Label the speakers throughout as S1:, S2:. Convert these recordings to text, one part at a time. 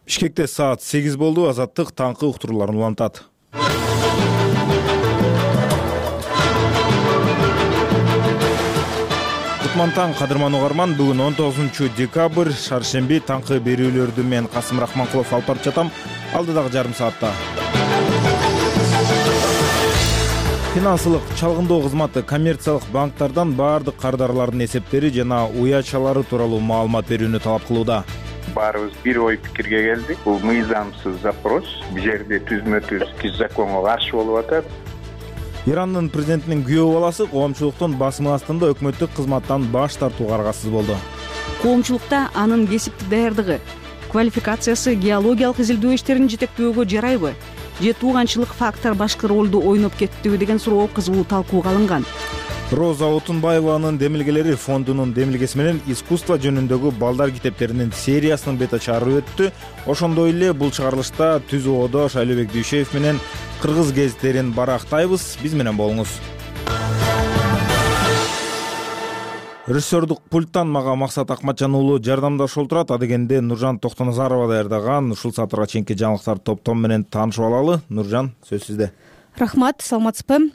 S1: Бишкекте саат 8 болду. Азаттык таңкы уктурууларын улантат. Кутмантаң кадырман угарман, бүгүн 19 декабрь, шаршемби. Таңкы берүүлөрдү мен Касым Рахманкулов алып барып жатам. Алдыдагы жарым саатта. Финансылык чалгындоо кызматы коммерциялык банктардан баардык кардарлардын эсептери жана уячалары тууралуу маалымат берүүнү талап кылууда.
S2: Баарыбыз бир ой пикирге келдик. Бул мыйзамсыз запрос. Бул жерде түзмө-түз законго каршы болуп атат.
S1: Ирандын президентинин күйөө баласы коомчулуктун басымы астында өкмөттүк кызматтан баш тартууга аргасыз болду.
S3: Коомчулукта анын кесиптик даярдыгы, квалификациясы геологиялык изилдөө иштерин жетектөөгө жарайбы? Же тууганчылык фактор башкы ролду ойноп кеттиби деген суроо кызуу талкууга алынган.
S1: Роза Отунбаеванын демилгелери фондунун демилгеси менен искусство жөнүндөгү балдар китептеринин сериясынын бет ачары өттү. Ошондой эле бул чыгарылышта түз оодош Айлыбек Дүйшеев менен кыргыз гезиттерин барактайбыз. Биз менен болуңуз. Режиссердук пульттан мага Максат Акматжан уулу жардамдашып отурат. Адегенде Нуржан Токтоназарова даярдаган ушул саатырга чейинки жаңылыктар топтом менен таанышып алалы. Нуржан, сөз сизде.
S4: Рахмат, саламатсызбы?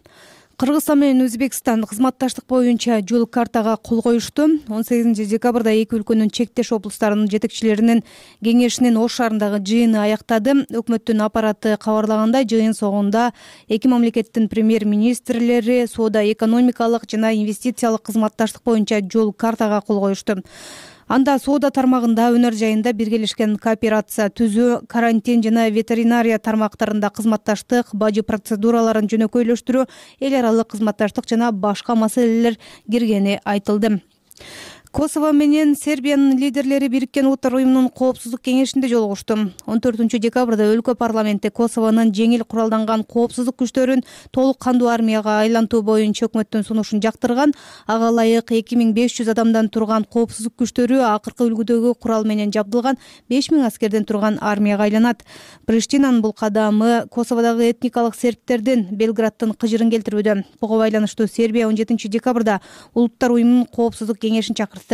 S4: Кыргызстан менен Өзбекстан кызматташтык боюнча жол картага кол коюшту. 18 декабрда эки өлкөнүн чектеш облустарынын жетекчилеринин кеңешинин Ош шаарындагы жыйыны аяктады. Өкмөттүн аппараты кабарлагандай, жыйын соңунда эки мамлекеттин премьер-министрлери соода экономикалык жана инвестициялык кызматташтык боюнча жол картага кол коюшту. Анда соода тармагында, өнөр жайында биргелешкен кооперация түзүү, карантин жана ветеринария тармактарында кызматташтык, бажы процедураларын жөнөкөйлөштүрүү, эл аралык кызматташтык жана башка маселелер киргени айтылды. Косово менен Сербиянын лидерлери Бириккен Уттар уюмунун коопсуздук кеңешинде жолугушту. 14 декабрда өлкө парламенти Косовонун жеңил куралданган коопсуздук күчтөрүн толук кандуу армияга айлантуу боюнча өкмөттүн сунушун жактырган. Ага ылайык 2500 адамдан турган коопсуздук күчтөрү акыркы үлгүдөгү курал менен жабдылган 5000 аскерден турган армияга айланат. Приштинанын бул кадамы Косоводогу этникалык сербтердин Белградтын кыжырын келтирүүдө. Буга байланыштуу Сербия 17 декабрда Улуттар уюмунун коопсуздук кеңешин чакырды.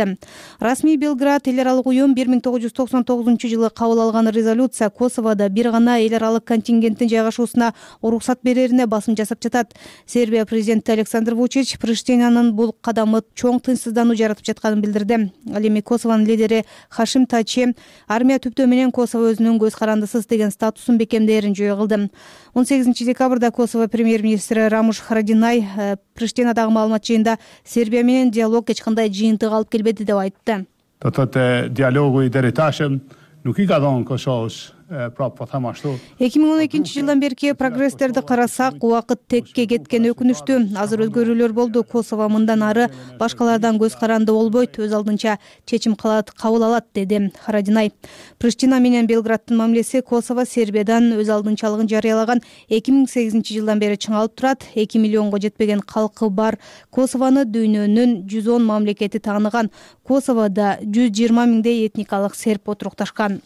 S4: Расмий Белград эл аралык уюм 1999 жылы кабыл алган резолюция Косоводо бир гана эл аралык контингенттин жайгашуусуна уруксат берерине басым жасап жатат. Сербия президенти Александр Вучич Приштинанын бул кадамы чоң тынчсыздануу жаратып жатканын билдирди. Ал эми Косовонун лидери Хашим Тачи армия түптөө менен Косово өзүнүн көз карандысыз деген статусун бекемдээрин жөө кылды. 18 декабрда Косово премьер-министри Рамуш Харадинай Приштинадагы маалымат жыйында Сербия менен диалог эч кандай жыйынтык алып келбеди деп айтты.
S5: Диалогу идереташем нуки гадон кошош
S4: 2012 жылдан берки прогресстерди карасак, убакыт текке кеткен өкүнүштүү. Азыр өзгөрүүлөр болду. Косово мындан ары башкалардан көз каранды болбойт, өз алдынча чечим кабыл алат, деди Харадинай. Приштина менен Белграддын мамилеси Косово Сербиядан өз алдынчалыгын жарыялаган 2008 жылдан бери чыңалып турат. 2 миллионго жетпеген калкы бар Косовону дүйнөнүн 110 мамлекети тааныган. Косоводо 120 миңдей этникалык серб отурукташкан.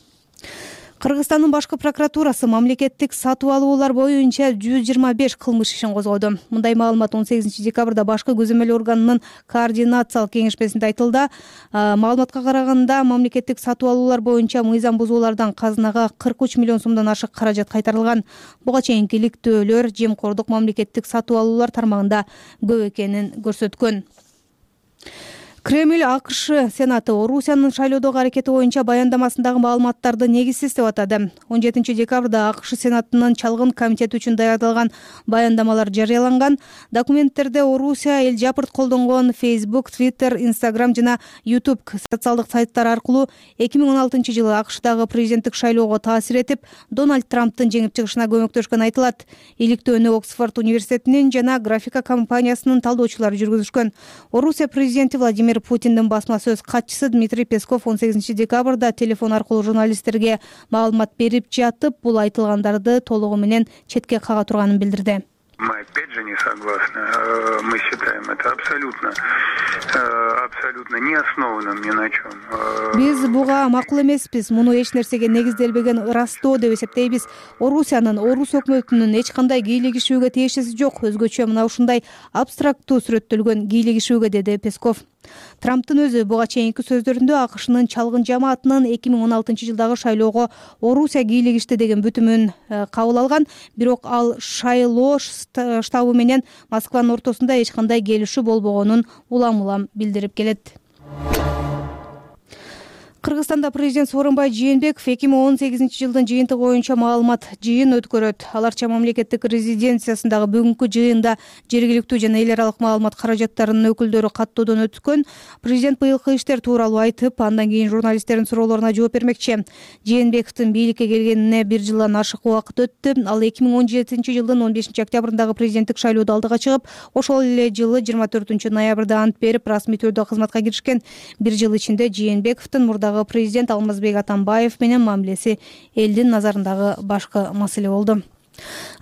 S4: Кыргызстандын башкы прокуратурасы мамлекеттик сатып алуулар боюнча 125 кылмыш ишин козгоду. Мындай маалымат 18 декабрда башкы көзөмөл органынын координациялык кеңешмесинде айтылды. Маалыматка караганда, мамлекеттик сатып алуулар боюнча мыйзам бузуулардан казынага 43 миллион сомдон ашык каражат кайтарылган. Буга чейинки иликтөөлөр жемкордук мамлекеттик сатып алуулар тармагында көп экенин көрсөткөн. Кремль АКШ Сенаты Орусиянын шайлоодогу аракети боюнча баяндамасындагы маалыматтарды негизсиз деп атады. 17 декабрда АКШ Сенатынын чалгын комитети үчүн даярдалган баяндамалар жарыяланган. Документтерде Орусия эл жапырт колдонгон Facebook, Twitter, Instagram жана YouTube социалдык сайттар аркылуу 2016 жылы АКШдагы президенттик шайлоого таасир этип, Дональд Трамптын жеңип чыгышына көмөктөшкөн айтылат. Иликтөөнү Оксфорд университетинин жана графика компаниясынын талдоочулары жүргүзүшкөн. Орусия президенти Владимир Путиндин басма сөз катчысы Дмитрий Песков 18 декабрда телефон аркылуу журналисттерге маалымат берип жатып, бул айтылгандарды толугу менен четке кага турганын билдирди.
S6: Мы опять же не согласны. Мы считаем это абсолютно не основанным ни на чем.
S4: Биз буга макул эмеспиз. Муну эч нерсеге негизделбеген ырастоо деп эсептейбиз. Орусиянын, орус өкмөтүнүн эч кандай кийлигишүүгө тиешеси жок. Өзгөчө мына ушундай абстрактуу сүрөттөлгөн кийлигишүүгө, деди Песков. Трамптын өзү буга чейинки сөздөрүндө AKШнын чалгын жамаатынын 2016-жылдагы шайлоого Орусия кийлигишти деген бүтүмүн кабыл алган. Бирок ал шайлоо штабы менен Москванын ортосунда эч кандай келишүү болбогонун улам билдирип келет. Кыргызстанда президент Сооронбай Жээнбеков 2018-жылдын жыйынтыгы боюнча маалымат жыйын өткөрөт. Аларча мамлекеттик резиденциясындагы бүгүнкү жыйында жергиликтүү жана эл аралык маалымат каражаттарынын өкүлдөрү каттоодон өткөн. Президент быйылкы иштер тууралуу айтып, андан кийин журналисттердин суроолоруна жооп бермекчи. Жээнбековдун бийликке келгенине 1 жылдан ашык убакыт өттү. Ал 2017-жылдын 15-октябрындагы президенттик шайлоодо алдыга чыгып, ошол эле жылы 24-ноябрда ант берип, расмий түрдө кызматка киришкен. 1 жыл ичинде Жээнбековдун мурдагы президент Алмазбек Атамбаев менен мамилеси элдин назарындагы башкы маселе болду.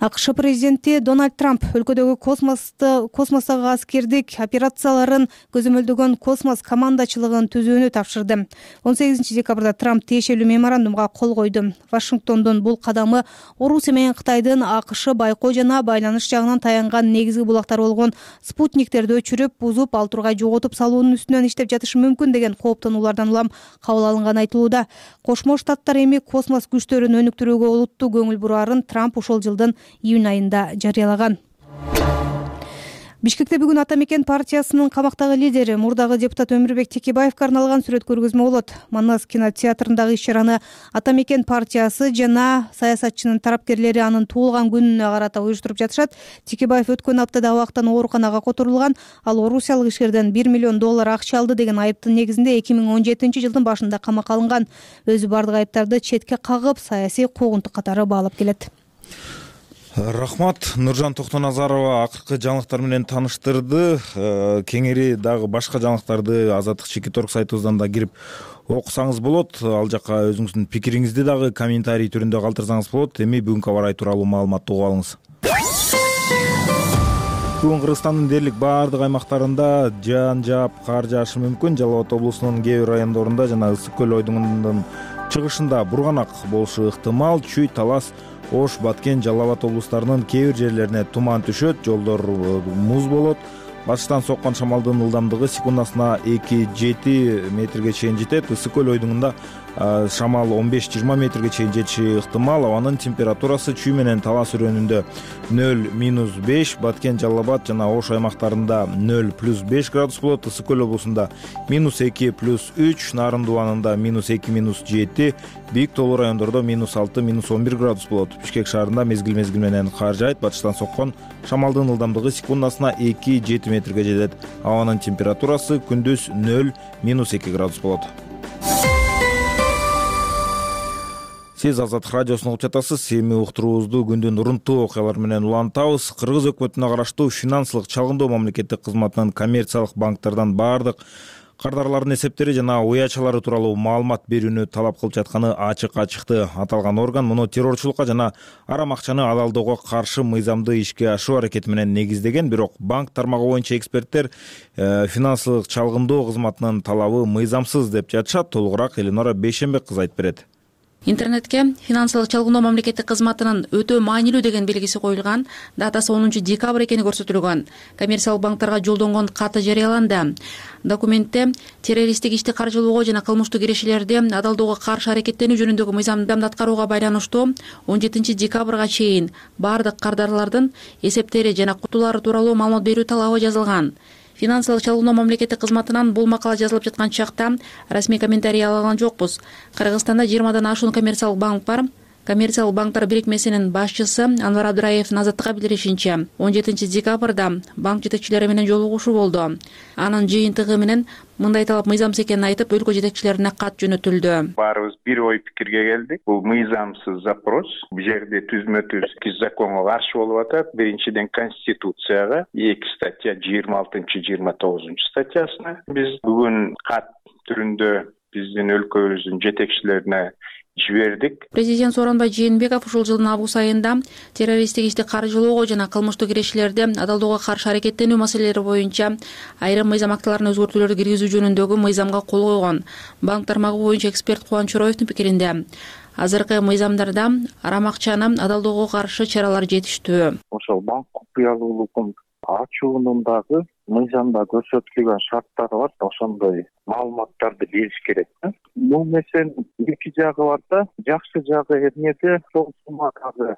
S4: АКШ президенти Дональд Трамп өлкөдөгү космостогу аскердик операцияларын көзөмөлдөгөн космос командачылыгын түзүүнү тапшырды. 18-декабрда Трамп тиешелүү меморандумга кол койду. Вашингтондун бул кадамы Орусия менен Кытайдын АКШ байкоо жана байланыш жагынан таянган негизги булактары болгон спутниктерди өчүрүп, бузуп, ал тургай жоготуп салуунун үстүнөн иштеп жатышы мүмкүн деген кооптонуулардан улам кабыл алынганы айтылууда. Кошмо Штаттар эми космос күчтөрүн өнүктүрүүгө олуттуу көңүл бурарын Трамп ошол жылдын июнь айында жарыялаган. Бишкекте бүгүн Ата мекен партиясынын камактагы лидери, мурдагы депутат Өмүрбек Текебаевге арналган сүрөт көргөзмө болот. Манас кинотеатрындагы иш-чараны Ата мекен партиясы жана саясатчынын тарапкерлери анын туулган күнүнө карата уюштуруп жатышат. Текебаев өткөн аптада абактан ооруканага которулган. Ал орусиялык ишкерден $1 миллион акча алды деген айыптын негизинде 2017-жылдын башында камакка алынган. Өзү бардык айыптарды четке кагып, саясий куугунтук катары баалап келет.
S1: Рахмат. Нуржан Токтоназарова акыркы жаңылыктар менен таныштырды. Кеңири дагы башка жаңылыктарды Азаттык Чекиторг сайтыбыздан да кирип окусаңыз болот. Ал жакка өзүңүздүн пикириңизди дагы комментарий түрүндө калтырсаңыз болот. Эми бүгүнкү аба ырайы тууралуу маалыматты угуп алыңыз. Бүгүн Кыргызстандын дээрлик баардык аймактарында жаан жаап, кар жаашы мүмкүн. Жалал Абад облусунун кээ бир райондорунда жана Ысык көл ойдуңунун чыгышында бурганак болушу ыктымал. Чүй, Талас, Ош, Баткен, Жалал Абад облустарынын кээ бир жерлерине туман түшөт, жолдор муз болот. Башкытан соккон шамалдын ылдамдыгы секундасына 2-7 метрге чейин жетет. Ысык көл ойдуңунда шамал 15-20 метрге чейин жетиши ыктымал. Абанын температурасы Чүй менен Талас өрөөнүндө 0-5, Баткен, Жалал Абад жана Ош аймактарында 0+5 градус болот. Ысык көл облусунда -2+3, Нарын дубанында -2-7, бийик тоолуу райондордо -6-11 градус болот. Бишкек шаарында мезгил менен кар жаайт. Батыштан соккон шамалдын ылдамдыгы секундасына 2-7 метрге жетет. Абанын температурасы күндүз 0-2 градус болот. Сиз Азаттык радиосун угуп жатасыз. Эми уктуруубузду күндүн урунттуу окуялары менен улантабыз. Кыргыз өкмөтүнө караштуу финансылык чалгындоо мамлекеттик кызматынын коммерциялык банктерден баардык кардарлардын эсептери жана уячалары тууралуу маалымат берүүнү талап кылып жатканы ачык чыкты. Аталган орган муну террорчулукка жана арам акчаны алалдоого каршы мыйзамды ишке ашыруу аракети менен негиздеген. Бирок банк тармагы боюнча эксперттер финансылык чалгындоо кызматынын талабы мыйзамсыз деп жатышат. Толугураак Элинора Бейшенбек кыз айтып берет.
S7: Интернетке финансылык чалгындоо мамлекеттик кызматынын өтө маанилүү деген белгиси коюлган, датасы 10-декабрь экени көрсөтүлгөн. Коммерциялык банктарга жолдонгон каты жарыяланды. Документте террористтик ишти каржылоого жана кылмыштык кирешелерди адалдоого каршы аракеттенүү жөнүндөгү мыйзамды аткарууга байланыштуу 17-декабрга чейин баардык кардарлардын эсептери жана кутулары тууралуу маалымат берүү талабы жазылган. Финансылык чалгындоо мамлекеттик кызматынан бул макала жазылып жаткан чакта расмий комментарий ала алган жокпуз. Кыргызстанда 20дан ашуун коммерциялык банк бар. Коммерциялык банктар бирикмесинин башчысы Анвар Абдыраевдин Азаттыкка билдиришинче, 17-декабрда банк жетекчилери менен жолугушуу болду. Анын жыйынтыгы менен мындай талап мыйзамсыз экенин айтып, өлкө жетекчилерине кат жөнөтүлдү.
S2: Баарыбыз бир ой пикирге келдик. Бул мыйзамсыз запрос. Бул жерде түзмө-түз законго каршы болуп атат. Биринчиден Конституцияга, 2 статья 26-29 статьясына. Биз бүгүн кат түрүндө биздин өлкөбүздүн жетекчилерине жибердик.
S7: Президент Сооронбай Жээнбеков ушул жылдын август айында террористтик ишти каржылоого жана кылмыштык ирешчилерди адалдоого каршы аракеттенүү маселелери боюнча айрым мыйзам актыларына өзгөртүүлөрдү киргизүү жөнүндөгү мыйзамга кол койгон. Банк тармагы боюнча эксперт Кубаныч Чороевдин пикиринде азыркы мыйзамдарда арам акчаны адалдоого каршы чаралар жетиштүү.
S8: Ошол банк купуялуулугун ачуунун дагы мыйзамда көрсөтүлгөн шарттары бар. Ошондой маалыматтарды бериш керек. Бул нерсенин эки жагы бар да. Жакшы жагы эмнеде? Сол суммадагы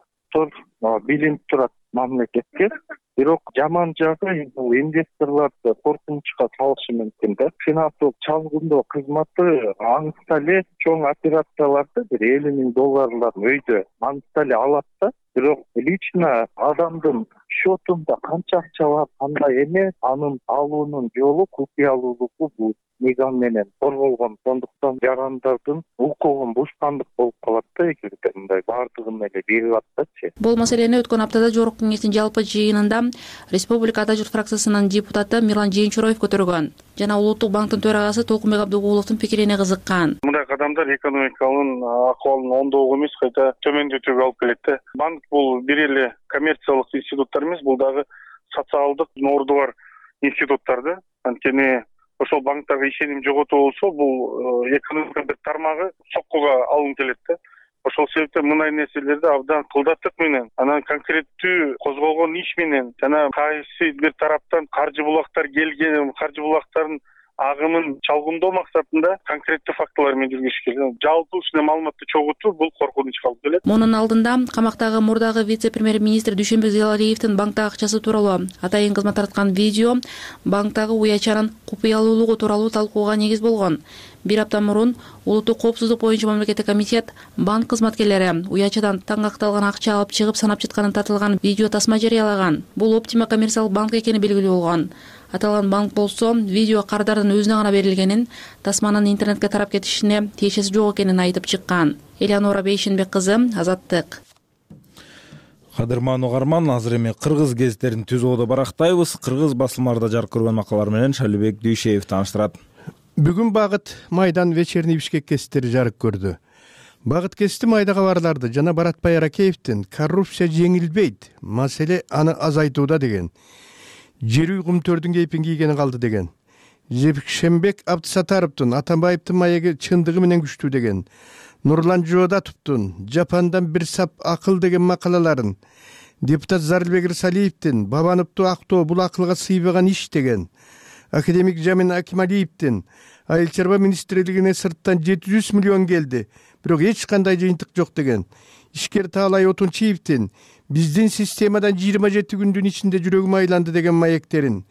S8: билинип турат мамлекетке. Бирок жаман жагы бул инвесторлорду коркунучка салышы мүмкүн да. Финансылык чалгындоо кызматы аңызда эле чоң операцияларды $50 000 өйдө аңызда эле алат да. Бирок лично адамдын счетунда канча акча бар, кандай эме, анын алуунун жолу купуялуулугу бул мыйзам менен корголгон. Сондуктан жарандардын укугун бушкандык болуп калат да, эгерде мындай баардыгын эле берип атсачы.
S7: Бул маселени өткөн аптада Жогорку Кеңештин жалпы жыйынында Республика Ата журт фракциясынын депутаты Мирлан Жээнчуроев көтөргөн жана Улуттук банктын төрагасы Толкунбек Абдыгуловдун пикирине кызыккан.
S6: Мындай кадамдар экономиканын акыбалын оңдоого эмес, кайта төмөндөтүүгө алып келет да. Банк бул бир эле коммерциялык институттар эмес, бул дагы социалдык орду бар институттар да. Анткени ошол банктарга ишеним жоготуу болсо, бул экономика бир тармагы соккуга алынып келет да. Ошол себептен мындай нерселерди абдан кылдаттык менен, анан конкреттүү козголгон иш менен жана кайсы бир тараптан каржы булактар келген, каржы булактарын агымын чалгындоо максатында конкреттүү фактылар менен жүргүзүш керек. Жалпы ушундай маалыматты чогултуу бул коркунучка алып келет.
S7: Мунун алдында камактагы мурдагы вице-премьер-министр Дүйшөнбек Зыялалиевдин банктагы акчасы тууралуу атайын кызмат тараткан видео банктагы уячанын купуялуулугу тууралуу талкууга негиз болгон. Бир апта мурун улуттук коопсуздук боюнча мамлекеттик комитет банк кызматкерлери уячадан таңакталган акча алып чыгып санап жатканын тартылган видео тасма жарыялаган. Бул Оптима коммерциялык банк экени белгилүү болгон. Аталган банк болсо видео кардардын өзүнө гана берилгенин, тасманын интернетке тарап кетишине тиешеси жок экенин айтып чыккан. Элеонора Бейшенбек кызы, Азаттык.
S1: Кадырман угарман, азыр эми кыргыз гезиттерин түзүүдө барактайбыз. Кыргыз басылмаларда жарык көргөн макалалар менен Шалибек Дүйшеев тааныштырат.
S9: Бүгүн Багыт Майдан вечерний Бишкек гезиттери жарык көрдү. Багыт гезити майда кабарларды жана Баратбай Аракеевдин коррупция жеңилбейт, маселе аны азайтууда деген. Жер үй кумтөрдүн кейпин кийгени калды деген. Жекшембек Абдысатаровдун Атамбаевдин маеги чындыгы менен күчтүү деген. Нурлан Жоодатовдун Жапандан бир сап акыл деген макалаларын, депутат Зарылбек Ирсалиевдин Бабановду актоо бул акылга сыйбаган иш деген. Академик Жамин Акималиевдин Айыл чарба министрлигине сырттан 700 миллион келди, бирок эч кандай жыйынтык жок деген. Ишкер Таалай Отунчиевдин биздин системадан 27 күндүн ичинде жүрөгүм айланды деген маектерин.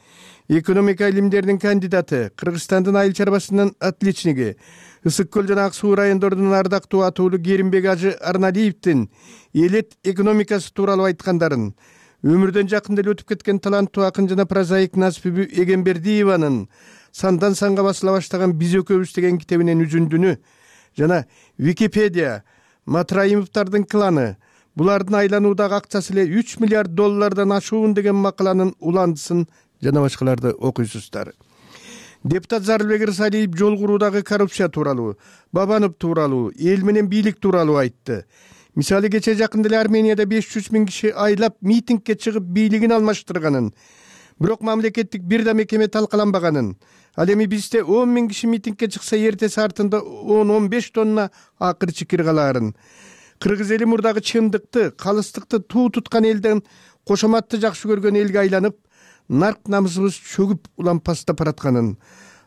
S9: Экономика илимдеринин кандидаты, Кыргызстандын айыл чарбасынын отличниги, Ысык көл жана Ак суу райондорунун ардактуу атуулу Керимбек Ажы Арналиевдин элет экономикасы тууралуу айткандарын, өмүрдөн жакында эле өтүп кеткен таланттуу акын жана прозаик Насипи Эгембердиеванын сандан санга басыла баштаган Биз экөөбүз деген китебинен үзүндүнү жана Википедия, Матраимовдардын кланы, булардын айлануудагы акчасы эле $3 миллиард ашуун деген макаланын уландысын жана башкаларды окуйсуздар. Депутат Зарылбек Ирсалиев жол куруудагы коррупция тууралуу, Бабанов тууралуу, эл менен бийлик тууралуу айтты. Мисалы кече жакында эле Арменияда 500 000 киши айлап митингге чыгып бийлигин алмаштырганын, бирок мамлекеттик бир да мекеме талкаланбаганын. Ал эми бизде 10 000 киши митингге чыкса эртеси артында 10-15 тонна акыр чикир калаарын. Кыргыз эли мурдагы чындыкты, калыстыкты туу туткан элден кошоматты жакшы көргөн элге айланып, нарк намысыбыз чөгүп улампастап баратканын,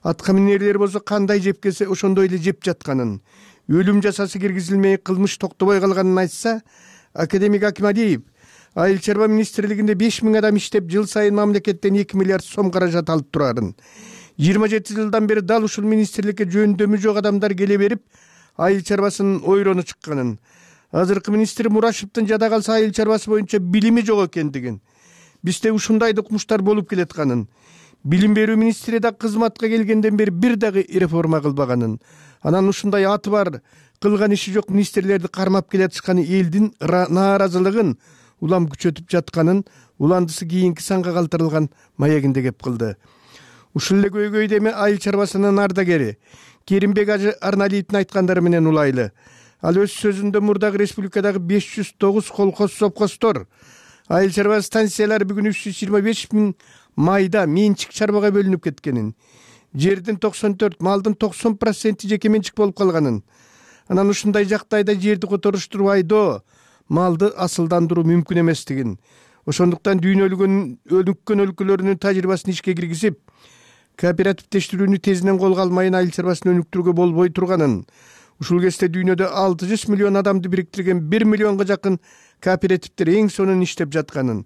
S9: атка минерлер болсо кандай жеп келсе ошондой эле жеп жатканын, өлүм жазасы киргизилмей кылмыш токтобой калганын айтса, академик Акималиев айыл чарба министрлигинде 5000 адам иштеп, жыл сайын мамлекеттен 2 миллиард сом каражат алып турарын. 27 жылдан бери дал ушул министрликке жөндөмү жок адамдар келе берип, айыл чарбасынын ойрону чыкканын. Азыркы министр Мурашевдин жада калса айыл чарбасы боюнча билими жок экендигин, бизде ушундай докумуштар болуп келатканын, билим берүү министри да кызматка келгенден бери бир дагы реформа кылбаганын, анан ушундай аты бар, кылган иши жок министрлерди кармап келатышканы элдин нааразылыгын улам күчөтүп жатканын уландысы кийинки санга калтырылган маегинде кеп кылды. Ушул эле көйгөйдө эми айыл чарбасынын ардагери Керимбек Ажы Арналиевдин айткандары менен улайлы. Ал өз сөзүндө мурдагы республикадагы 509 колхоз совхоздор, айыл чарба станциялары бүгүн 325 000 майда менчик чарбага бөлүнүп кеткенин, жердин 94, малдын 90% жеке менчик болуп калганын, анан ушундай жактайда жерди которуштуруп айдоо, малды асылдандыруу мүмкүн эместигин, ошондуктан өнүккөн өлкөлөрүнүн тажрыйбасын ишке киргизип, кооперативдештирүүнү тезинен колго алмайын айыл чарбасын өнүктүрүүгө болбой турганын, ушул кезде дүйнөдө 600 миллион адамды бириктирген 1 миллионго жакын кооперативдер эң сонун иштеп жатканын,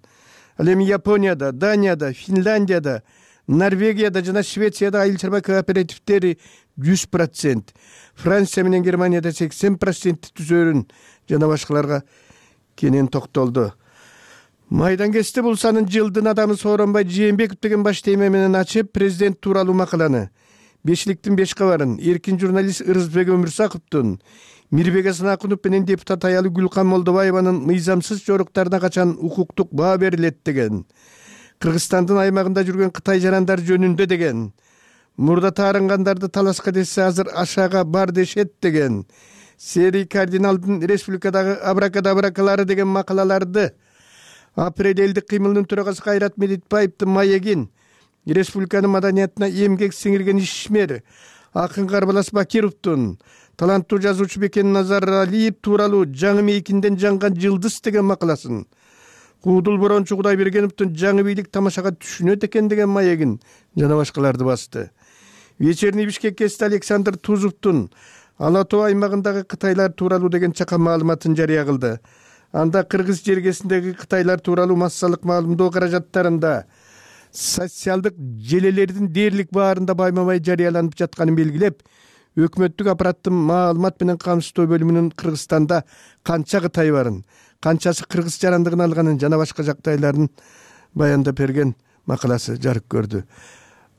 S9: ал эми Японияда, Данияда, Финляндияда, Норвегияда жана Швецияда айыл чарба кооперативдери 100%, Франция менен Германияда 80% түзөрүн жана башкаларга кенен токтолду. Майдан кести бул санын жылдын адамы Сооронбай Жээнбеков деген баш тема менен ачып, президент тууралуу макаланы, Бешиликтин 5 кабарын, эркин журналист Ырысбек Өмүрсаковдун, Мирбек Асанакунов менен депутат аялы Гүлкан Молдобаеванын мыйзамсыз жоруктарына качан укуктук баа берилет деген, Кыргызстандын аймагында жүргөн Кытай жарандар жөнүндө деген, мурда таарынгандарды таласка десе азыр ашаага бар дешет деген, Серий кардиналдын республикадагы абракадабракалары деген макалаларды, Апрель элдик кыймылынын төрагасы Кайрат Медетбаевдин маегин, республиканын маданиятына эмгек сиңирген ишмер акын Карбалас Бакировдун, таланттуу жазуучу Бекен Назаралиев тууралуу жаңы мейкинден жанган жылдыз деген макаласын, Куудул Борончу Кудайбергеновдун жаңы бийлик тамашага түшүнөт экен деген маегин жана башкаларды басты. Вечерний Бишкек кести Александр Тузовдун Ала Тоо аймагындагы кытайлар тууралуу деген чакан маалыматын жарыя кылды. Анда кыргыз жергесиндеги кытайлар тууралуу массалык маалымдоо каражаттарында социалдык желелердин дээрлик баарында байма-бай жарыяланып жатканын белгилеп, өкмөттүк аппараттын маалымат менен камсыздоо бөлүмүнүн Кыргызстанда канча кытай барын, канчасы кыргыз жарандыгын алганын жана башка жактайларын баяндап берген макаласы жарык көрдү.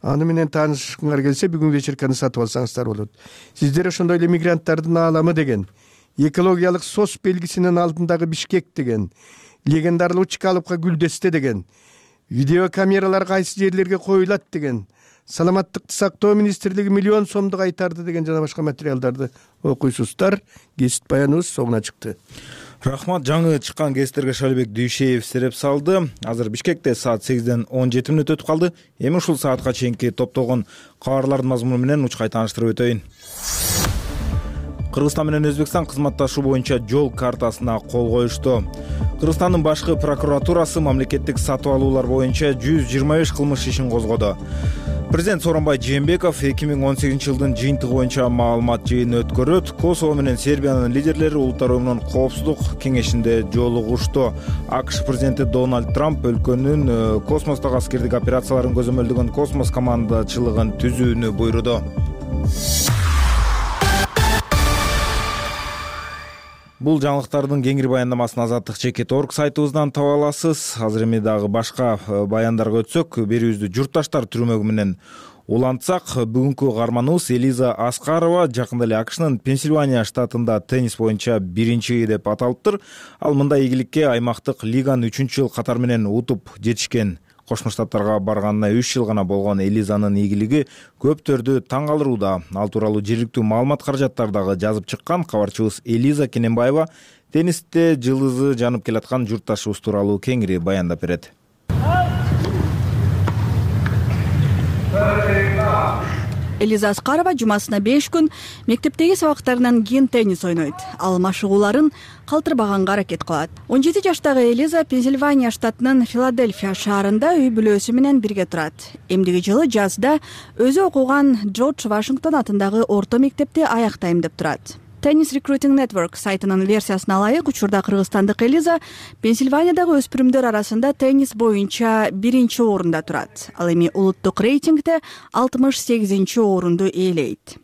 S9: Аны менен таанышкыңар келсе, бүгүн вечерканы сатып алсаңыздар болот. Сиздер ошондой эле мигранттардын ааламы деген, экологиялык сос белгисинин алдындагы Бишкек деген, легендарлуу Чкаловка Гүлдесте деген, видеокамералар кайсы жерлерге коюлат деген, саламаттыкты сактоо министрлиги миллион сомдук айтарды деген жана башка материалдарды окуйсуздар. Кесип баяныбыз соңуна чыкты.
S1: Рахмат. Жаңы чыккан кесиптерге Шалбек Дүйшеев сереп салды. Азыр Бишкекте саат 8ден 17 мүнөт өтүп калды. Эми ушул саатка чейинки топтогон кабарлардын мазмуну менен учкай тааныштырып өтөйүн. Кыргызстан менен Өзбекстан кызматташуу боюнча жол картасына кол коюшту. Кыргызстандын башкы прокуратурасы мамлекеттик сатып алуулар боюнча 125 кылмыш ишин козгоду. Президент Сооронбай Жээнбеков 2018 жылдын жыйынтыгы боюнча маалымат жыйыны өткөрөт. Косово менен Сербиянын лидерлери Улуттар уюмунун коопсуздук кеңешинде жолугушту. АКШ президенти Дональд Трамп өлкөнүн космостогу аскердик операцияларын көзөмөлдөгөн космос командачылыгын түзүүнү буйруду. Бул жаңылыктардын кеңири баяндамасын Азаттык Чекит.орг сайтыбыздан таба аласыз. Азыр эми дагы башка баяндарга өтсөк, берүүбүздү журтташтар түрмөгү менен улантсак, бүгүнкү каарманыбыз Элиза Аскарова жакында эле АКШнын Пенсильвания штатында теннис боюнча биринчи деп аталыптыр. Ал мындай ийгиликке аймактык лиганы 3-жыл катар менен утуп жетишкен. Кошмо Штаттарга барганына 3 жыл гана болгон Элизанын ийгилиги көптөрдү таң калтырууда. Ал тууралуу жергиликтүү маалымат каражаттардагы жазып чыккан кабарчыбыз Элиза Кененбаева теннисте жылдызы жанып келаткан журтташыбыз тууралуу кеңири баяндап берет.
S3: Элиза Аскарова жумасына 5 күн мектептеги сабактарынан кийин теннис ойнойт. Ал машыгууларын калтырбаганга аракет кылат. 17 жаштагы Элиза Пенсильвания штатынын Филадельфия шаарында үй бүлөсү менен бирге турат. Эмдиги жылы жазда өзү окуган Джордж Вашингтон атындагы орто мектепти аяктайм деп турат. Tennis Recruiting Network сайтынын версиясына ылайык, учурда кыргызстандык Элиза Пенсильваниядагы өспүрүмдөр арасында теннис боюнча 1-чи орунда турат. Ал эми улуттук рейтингде 68-чи орунду ээлейт.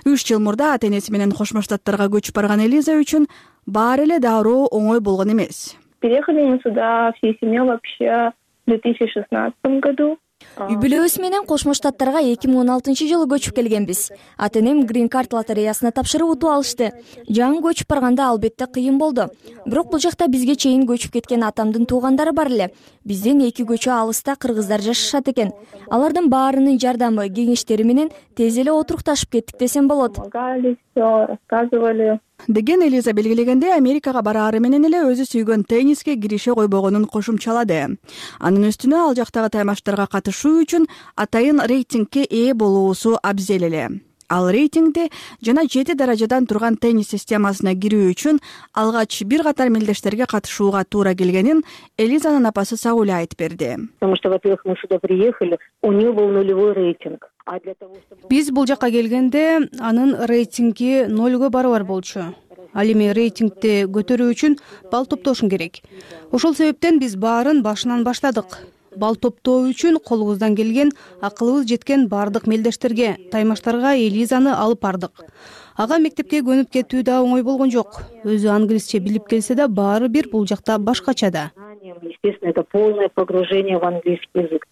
S3: 3 жыл мурда ата-энеси менен Кошмо Штаттарга көчүп барган Элиза үчүн баары эле дароо оңой болгон эмес.
S10: Переехали мы сюда всей семьей вообще в 2016 году.
S11: Үй бүлөбүз менен Кошмо Штаттарга 2016-жылы көчүп келгенбиз. Ата-энем грин-карт лотереясына тапшырып утуп алышты. Жаңы көчүп барганда албетте кыйын болду. Бирок бул жакта бизге чейин көчүп кеткен атамдын туугандары бар эле. Бизден 2 көчө алыста кыргыздар жашашат экен. Алардын баарынын жардамы, кеңештери менен тез эле отурукташып кеттик десем болот.
S10: Помогали, всё рассказывали.
S12: деген Элиза белгилегенде, Америкага бараары менен эле өзү сүйгөн тенниске кирише койбогонун кошумчалады. Анын үстүнө ал жактагы таймаштарга катышуу үчүн атайын рейтингке ээ болуусу абзел эле. Ал рейтингде жана 7 даражадан турган теннис системасына кирүү үчүн алгач бир катар мелдештерге катышууга туура келгенин Элизанын апасы Сауля айтып берди.
S13: Потому что, во-первых, мы сюда приехали, у нее был нулевой рейтинг.
S4: Биз бул жака келгенде анын рейтинги 0 барабар болчу. Ал эми рейтингди көтөрүү үчүн балл топтошуң керек. Ошол себептен биз баарын башынан баштадык. Балл топтоо үчүн колубуздан келген, акылыбыз жеткен бардык мелдештерге, таймаштарга Элизаны алып бардык. Ага мектепке көнүп кетүү да оңой болгон жок. Өзү англисче билип келсе да, баары бир бул жакта башкача да.
S13: Естественно, это полное погружение в английский язык.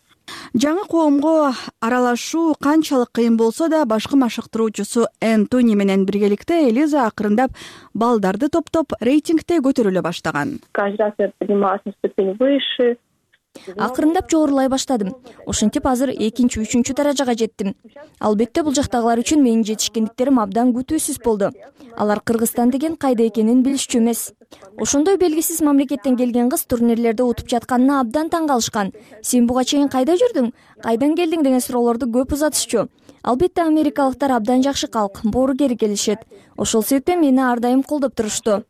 S12: Жаңы коомго аралашуу канчалык кыйын болсо да, башкы машыктыруучусу Энтони менен биргеликте Элиза акырындап балдарды топтоп, рейтингде көтөрүлө баштаган.
S10: Каждый раз я поднималась на ступень выше.
S11: Акырындап жогорулай баштадым. Ошентип азыр 2-3 даражага жеттим. Албетте бул жактагылар үчүн менин жетишкендиктерим абдан күтүүсүз болду. Алар Кыргызстан деген кайда экенин билишчү эмес. Ошондой белгисиз мамлекеттен келген кыз турнирлерде утуп жатканына абдан таң калышкан. Сен буга чейин кайда жүрдүң? Кайдан келдиң деген суроолорду көп узатышчу. Албетте америкалыктар абдан жакшы калк, боорукер келишет. Ошол себептен мени ар дайым колдоп турушту.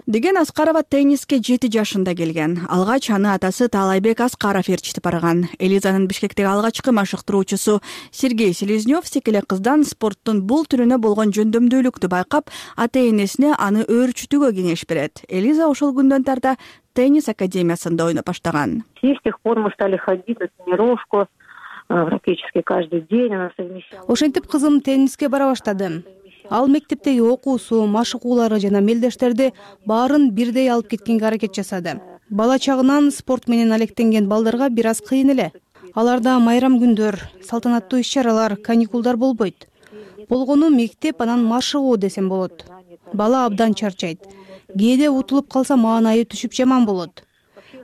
S12: Деген Аскарова тенниске 7 жашында келген. Алгач аны атасы Таалайбек Аскаров ээрчитип барган. Элизанын Бишкектеги алгачкы машыктыруучусу Сергей Селезнёв секеле кыздан спорттун бул түрүнө болгон жөндөмдүүлүктү байкап, ата-энесине аны өөрчүтүүгө кеңеш берет. Элиза ошол күндөн тарта теннис академиясында ойноп баштаган.
S13: С тех пор мы стали ходить на тренировку практически каждый день. Она совмещала.
S4: Ошентип кызым тенниске бара баштады. Ал мектептеги окуусу, машыгуулары жана мелдештерди баарын бирдей алып кеткенге аракет жасады. Бала чагынан спорт менен алектенген балдарга бир аз кыйын эле. Аларда майрам күндөр, салтанаттуу иш-чаралар, каникулдар болбойт. Болгону мектеп, анан машыгуу десем болот. Бала абдан чарчайт. Кээде утулуп калса маанайы түшүп жаман болот.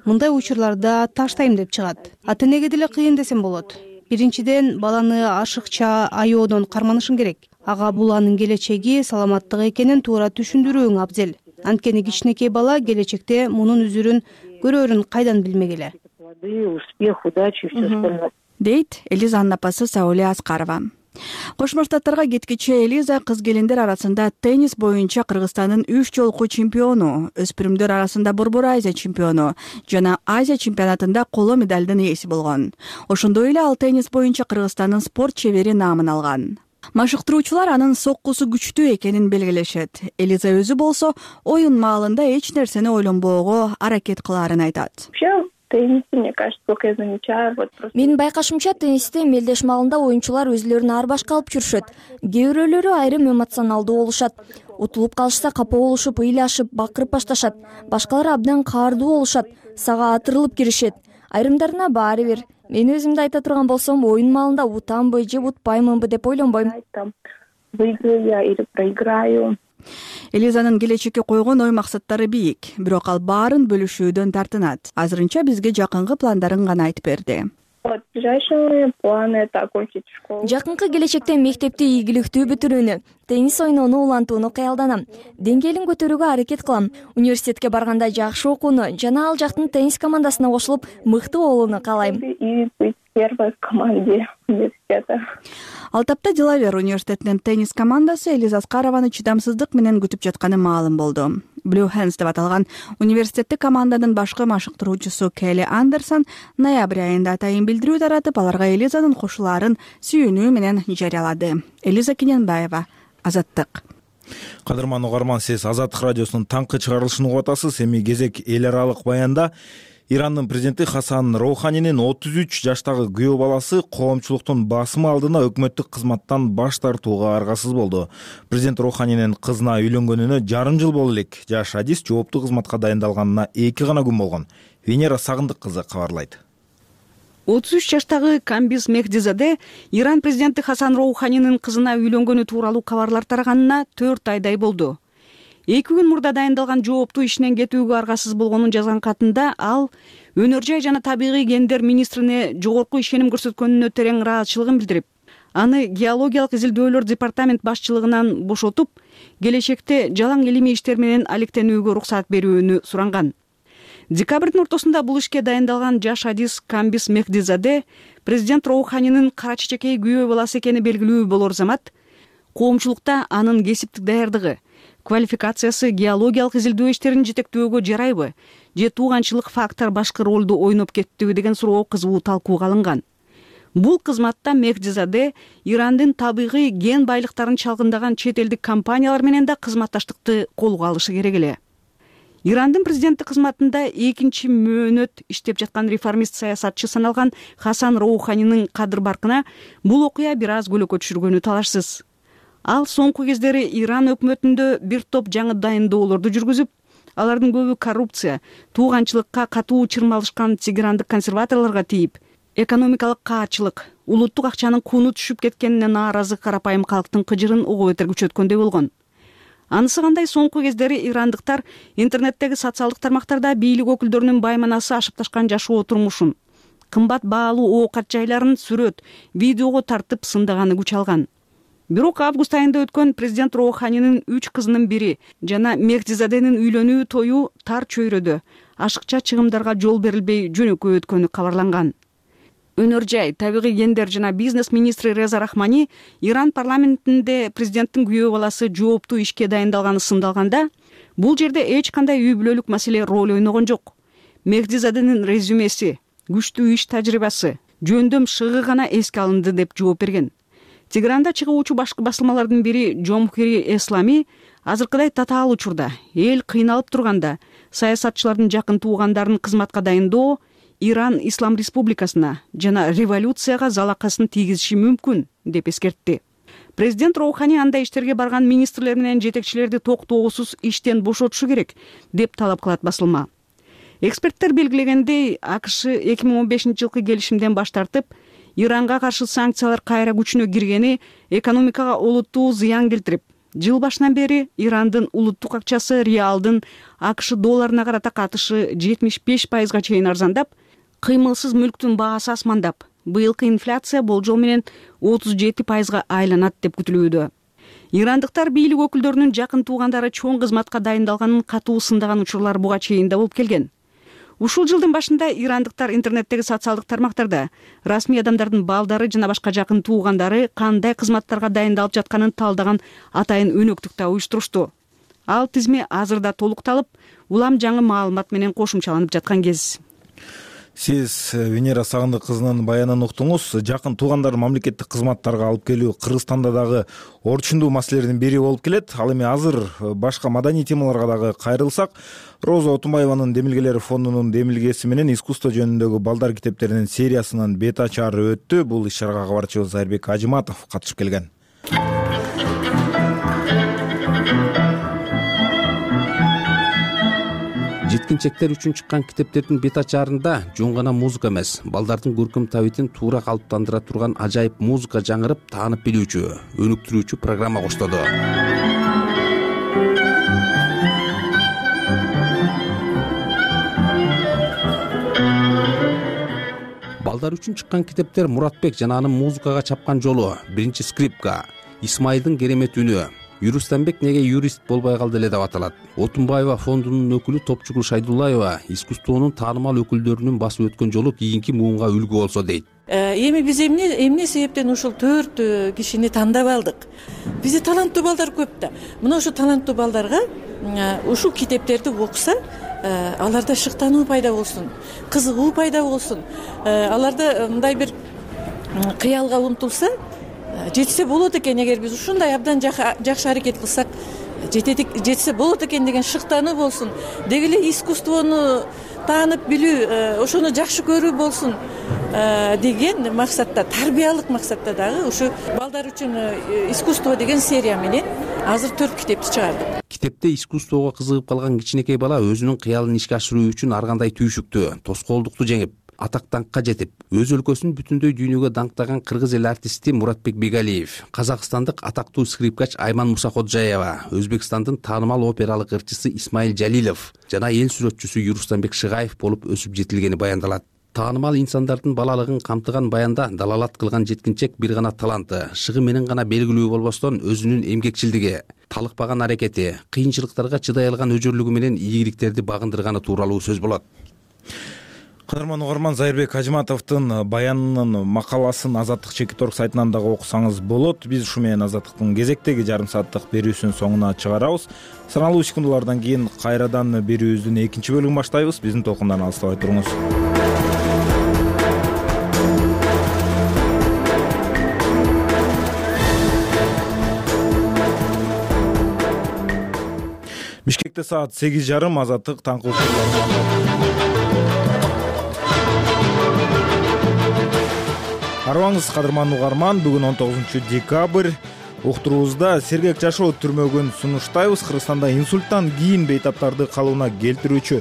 S4: Мындай учурларда таштайм деп чыгат. Ата-энеге деле кыйын десем болот. Биринчиден, баланы ашыкча, аyoодон карманышың керек. Ага бул анын келечеги, саламаттыгы экенин туура түшүндүрүүң абзел. Анткени кичинекей бала келечекте мунун үзүрүн көрөрүн кайдан билмегиле.
S13: Успех, удачи, все остальное.
S12: Дейт Элизанын апасы Сауля Аскарова. Кошмо Штаттарга кеткиче Элиза кыз келиндер арасында теннис боюнча Кыргызстандын 3 жолку чемпиону, өспүрүмдөр арасында Борбор Азия чемпиону жана Азия чемпионатында коло медалдын ээси болгон. Ошондой эле ал теннис боюнча Кыргызстандын спорт чебери наамын алган. Машыктыруучулар анын соккусу күчтүү экенин белгилешет. Элиза өзү болсо оюн маалында эч нерсени ойлонбоого аракет кылаарын айтат.
S10: Теннис, мне кажется, сколько я замечаю, вот просто.
S11: Менин байкашымча теннисте мелдеш маалында оюнчулар өзүлөрүн ар башка алып жүрүшөт. Кээ бирөөлөрү айрым эмоционалдуу болушат. Утулуп калышса капа болушуп, ыйлашып, бакырып башташат. Башкалары абдан каардуу болушат, сага атырылып киришет. Айрымдарына баары бир. Мен өзүмдү айта турган болсом, оюн маалында утамбы же утпаймынбы деп ойлонбойм.
S10: Выиграю я или проиграю.
S12: Элизанын келечекке койгон ой максаттары бийик, бирок ал баарын бөлүшүүдөн тартынат. Азырынча бизге жакынкы пландарын гана айтып берди.
S10: Вот ближайшие планы это окончить школу.
S11: Жакынкы келечекте мектепти ийгиликтүү бүтүрүүнү, теннис ойноону улантууну кыялданам. Деңгээлин көтөрүүгө аракет кылам. Университетке барганда жакшы окууну жана ал жактын теннис командасына кошулуп мыкты болууну каалайм.
S10: И быть первой в команде университета.
S12: Алтапта Делавер университетинин теннис командасы Элиза Аскарованы чыдамсыздык менен күтүп жатканы маалым болду. Blue Hands деп аталган университеттик команданын башкы машыктыруучусу Келли Андерсон ноябрь айында атайын билдирүү таратып, аларга Элизанын кошулаарын сүйүнүү менен жарыялады. Элиза Кененбаева, Азаттык.
S1: Кадырман угарман, сиз Азаттык радиосунун таңкы чыгарылышын угуп атасыз. Эми кезек эл аралык баянда Ирандын президенти Хасан Роуханинин 33 жаштагы күйөө баласы коомчулуктун басымы алдына өкмөттүк кызматтан баш тартууга аргасыз болду. Президент Роуханинин кызына үйлөнгөнүнө жарым жыл боло элек. Жаш адис жооптуу кызматка дайындалганына 2 гана күн болгон. Венера Сагындык кызы кабарлайт.
S3: 33 жаштагы Камбиз Мехдизаде Иран президенти Хасан Роуханинин кызына үйлөнгөнү тууралуу кабарлар тараганына 4 айдай болду. 2 күн мурда дайындалган жооптуу ишинен кетүүгө аргасыз болгонун жазган катында ал өнөр жай жана табигый гендер министрине жогорку ишеним көрсөткөнүнө терең ыраазычылыгын билдирип, аны геологиялык изилдөөлөр департамент башчылыгынан бошотуп, келечекте жалаң илимий иштер менен алектенүүгө уруксат берүүнү суранган. Декабрдын ортосунда бул ишке дайындалган жаш адис Камбис Мехдизаде президент Роуханинин кара чечекей күйөө баласы экени белгилүү болор замат, коомчулукта анын кесиптик даярдыгы, квалификациясы геологиялык изилдөө иштерин жетектөөгө жарайбы же тууганчылык фактор башкы ролду ойноп кеттиби деген суроо кызуу талкууга алынган. Бул кызматта Мехдизаде Ирандын табигый ген байлыктарын чалгындаган чет элдик компаниялар менен да кызматташтыкты колго алышы керек эле. Ирандын президенти кызматында 2 мөөнөт иштеп жаткан реформист саясатчы саналган Хасан Роуханинин кадыр баркына бул окуя бир аз көлөкө түшүргөнү талашсыз. Ал соңку кездери Иран өкмөтүндө бир топ жаңы дайындоолорду жүргүзүп, алардын көбү коррупция, тууганчылыкка катуу чырмалышкан тегерандык консерваторлорго тийип, экономикалык каачылык, улуттук акчанын кууну түшүп кеткенине нааразы карапайым калктын кыжырын угуп бетер күчөткөндөй болгон. Анысы кандай соңку кездери ирандыктар интернеттеги социалдык тармактарда бийлик өкүлдөрүнүн байманасы ашып ташкан жашоо турмушун, кымбат баалуу оокат жайларын сүрөт, видеого тартып сындаганы күч алган. Бирок август айында өткөн президент Роуханинин 3 кызынын бири жана Мехдизаденин үйлөнүү тою тар чөйрөдө ашыкча чыгымдарга жол берилбей жөнөкөй өткөнү кабарланган. Өнөр жай, табигый гендер жана бизнес министри Реза Рахмани Иран парламентинде президенттин күйөө баласы жооптуу ишке дайындалганы сындалганда, бул жерде эч кандай үй бүлөлүк маселе роль ойногон жок. Мехдизаденин резюмеси, күчтүү иш тажрыйбасы, жөндөм шыгы гана эске алынды деп жооп берген. Тегеранда чыгуучу башкы басылмалардын бири Жомхири Эслами азыркыдай татаал учурда, эл кыйналып турганда, саясатчылардын жакын туугандарын кызматка дайындоо Иран Ислам Республикасына жана революцияга залакасын тийгизиши мүмкүн деп эскертти. Президент Роухани андай иштерге барган министрлер менен жетекчилерди токтоосуз иштен бошотушу керек деп талап кылат басылма. Эксперттер белгилегендей, АКШ 2015-жылкы келишимден баш тартып, Иранга каршы санкциялар кайра күчүнө киргени экономикага олуттуу зыян келтирип, жыл башынан бери Ирандын улуттук акчасы реалдын АКШ долларына карата катышы 75%га чейин арзандап, кыймылсыз мүлктүн баасы асмандап, быйылкы инфляция болжол менен 37%га айланат деп күтүлүүдө. Ирандыктар бийлик өкүлдөрүнүн жакын туугандары чоң кызматка дайындалганын катуу сындаган учурлар буга чейин да болуп келген. Ушул жылдын башында ирандыктар интернеттеги социалдык тармактарда расмий адамдардын балдары жана башка жакын туугандары кандай кызматтарга дайындалып жатканын талдаган атайын өнөктүк да уюштурушту. Ал тизме азырда толукталып, улам жаңы маалымат менен кошумчаланып жаткан кез.
S1: Сиз Венера Сагындык кызынын баянын уктуңуз. Жакын туугандар мамлекеттик кызматтарга алып келүү Кыргызстанда дагы орчундуу маселелердин бири болуп келет. Ал эми азыр башка маданий темаларга дагы кайрылсак, Роза Отунбаеванын Демилгелери фондунун демилгеси менен искусство жөнүндөгү балдар китептеринин сериясынын бет ачары өттү. Бул иш-чарага кабарчыбыз Айрбек Ажыматов катышып келген.
S14: Жеткинчектер үчүн чыккан китептердин бет ачарында жөн гана музыка эмес, балдардын көркөм табитин туура калыптандыра турган ажайып музыка жаңырып, таанып билүүчү, өнүктүрүүчү программа коштоду. Балдар үчүн чыккан китептер Муратбек жана анын музыкага чапкан жолу, биринчи скрипка, Исмайылдын керемет үнү, Юрустанбек неге юрист болбой калды эле деп аталат. Отунбаева фондунун өкүлү Топчугул Шайдуллаева искусствонун таанымал өкүлдөрүнүн басып өткөн жолу кийинки муунга үлгү болсо дейт.
S15: Эми биз эмне себептен ушул 4 кишини тандап алдык? Бизде таланттуу балдар көп да. Мына ошо таланттуу балдарга ушул китептерди окуса, аларда шыктануу пайда болсун, кызыгуу пайда болсун, аларда мындай бир кыялга умтулса, жетсе болот экен. Эгер биз ушундай абдан жакшы аракет кылсак, жетсе болот экен деген шыктануу болсун, деги эле искусствону таанып билүү, ошону жакшы көрүү болсун деген максатта, тарбиялык максатта дагы ушу балдар үчүн искусство деген серия менен азыр 4 китепти чыгардык.
S14: Китепте искусствого кызыгып калган кичинекей бала өзүнүн кыялын ишке ашыруу үчүн ар кандай түйшүктү, тоскоолдукту жеңип, атак-даңкка жетип, өз өлкөсүн бүтүндөй дүйнөгө даңктаган кыргыз эл артисти Муратбек Бегалиев, казакстандык атактуу скрипкач Айман Мусаходжаева, Өзбекстандын таанымал опералык ырчысы Исмайыл Жалилов жана эл сүрөтчүсү Юрустанбек Шыгаев болуп өсүп жетилгени баяндалат. таанымал инсандардын балалыгын камтыган баянда далалат кылган жеткинчек бир гана таланты, шыгы менен гана белгилүү болбостон өзүнүн эмгекчилдиги, талыкпаган аракети, кыйынчылыктарга чыдай алган өжөрлүгү менен ийгиликтерди багындырганы тууралуу сөз болот.
S1: Кадырман угарман, Зайырбек Ажиматовдун баянынын макаласын Азаттык Чекиторг сайтынан дагы окусаңыз болот. Биз ушу менен Азаттыктын кезектеги жарым сааттык берүүсүнүн соңуна чыгарабыз. Саналуу секундалардан кийин кайрадан берүүбүздүн экинчи бөлүгүн баштайбыз. Биздин толкундан алыстабай туруңуз. Бишкекте саат 8:30. Азаттык таңкы Арыбаңыз, кадырман угарман. Бүгүн 19 декабрь. Уктуруубузда сергек жашоо түрмөгүн сунуштайбыз. Кыргызстанда инсульттан кийин бейтаптарды калыбына келтирүүчү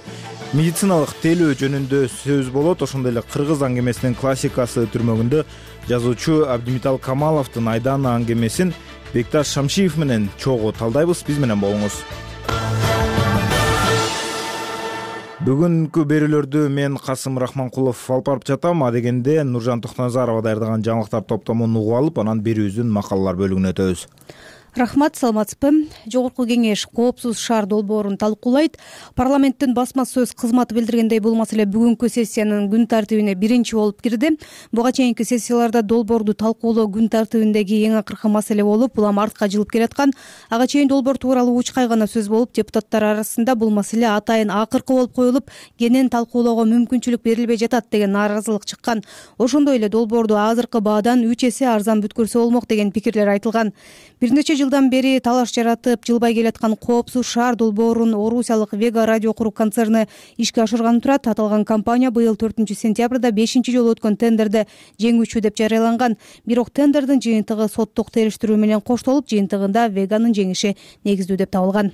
S1: медициналык тейлөө жөнүндө сөз болот. Ошондой эле кыргыз аңгемесинин классикасы түрмөгүндө жазуучу Абдимитал Камаловдун Айдана аңгемесин Бекташ Шамшиев менен чогуу талдайбыз. Биз менен болуңуз. Бүгүнкү берүүлөрдү мен Касым Рахманкулов алып барып жатам. Адегенде Нуржан Токтоназарова даярдаган жаңылыктар топтомун угуп алып, анан берүүбүздүн макалалар бөлүгүнө өтөбүз.
S4: Рахмат, саламатсызбы? Жогорку кеңеш коопсуз шаар долбоорун талкуулайт. Парламенттин басма сөз кызматы билдиргендей, бул маселе бүгүнкү сессиянын күн тартибине биринчи болуп кирди. Буга чейинки сессияларда долбоорду талкуулоо күн тартибиндеги эң акыркы маселе болуп, улам артка жылып келаткан. Ага чейин долбоор тууралуу учкай гана сөз болуп, депутаттар арасында бул маселе атайын акыркы болуп коюлуп, кенен талкуулоого мүмкүнчүлүк берилбей жатат деген нааразылык чыккан. Ошондой эле долбоорду азыркы баадан 3 эсе арзан бүткөрсө болмок деген пикирлер айтылган. Бир нече жылдан бери талаш жаратып жылбай келаткан коопсуз шаар долбоорун орусиялык Вега радио курук концерни ишке ашырган турат. Аталган компания быйыл 4-сентябрда 5-чи жолу өткөн тендерде жеңүүчү деп жарыяланган. Бирок тендердин жыйынтыгы соттук териштирүү менен коштолуп, жыйынтыгында Веганын жеңиши негиздүү деп табылган.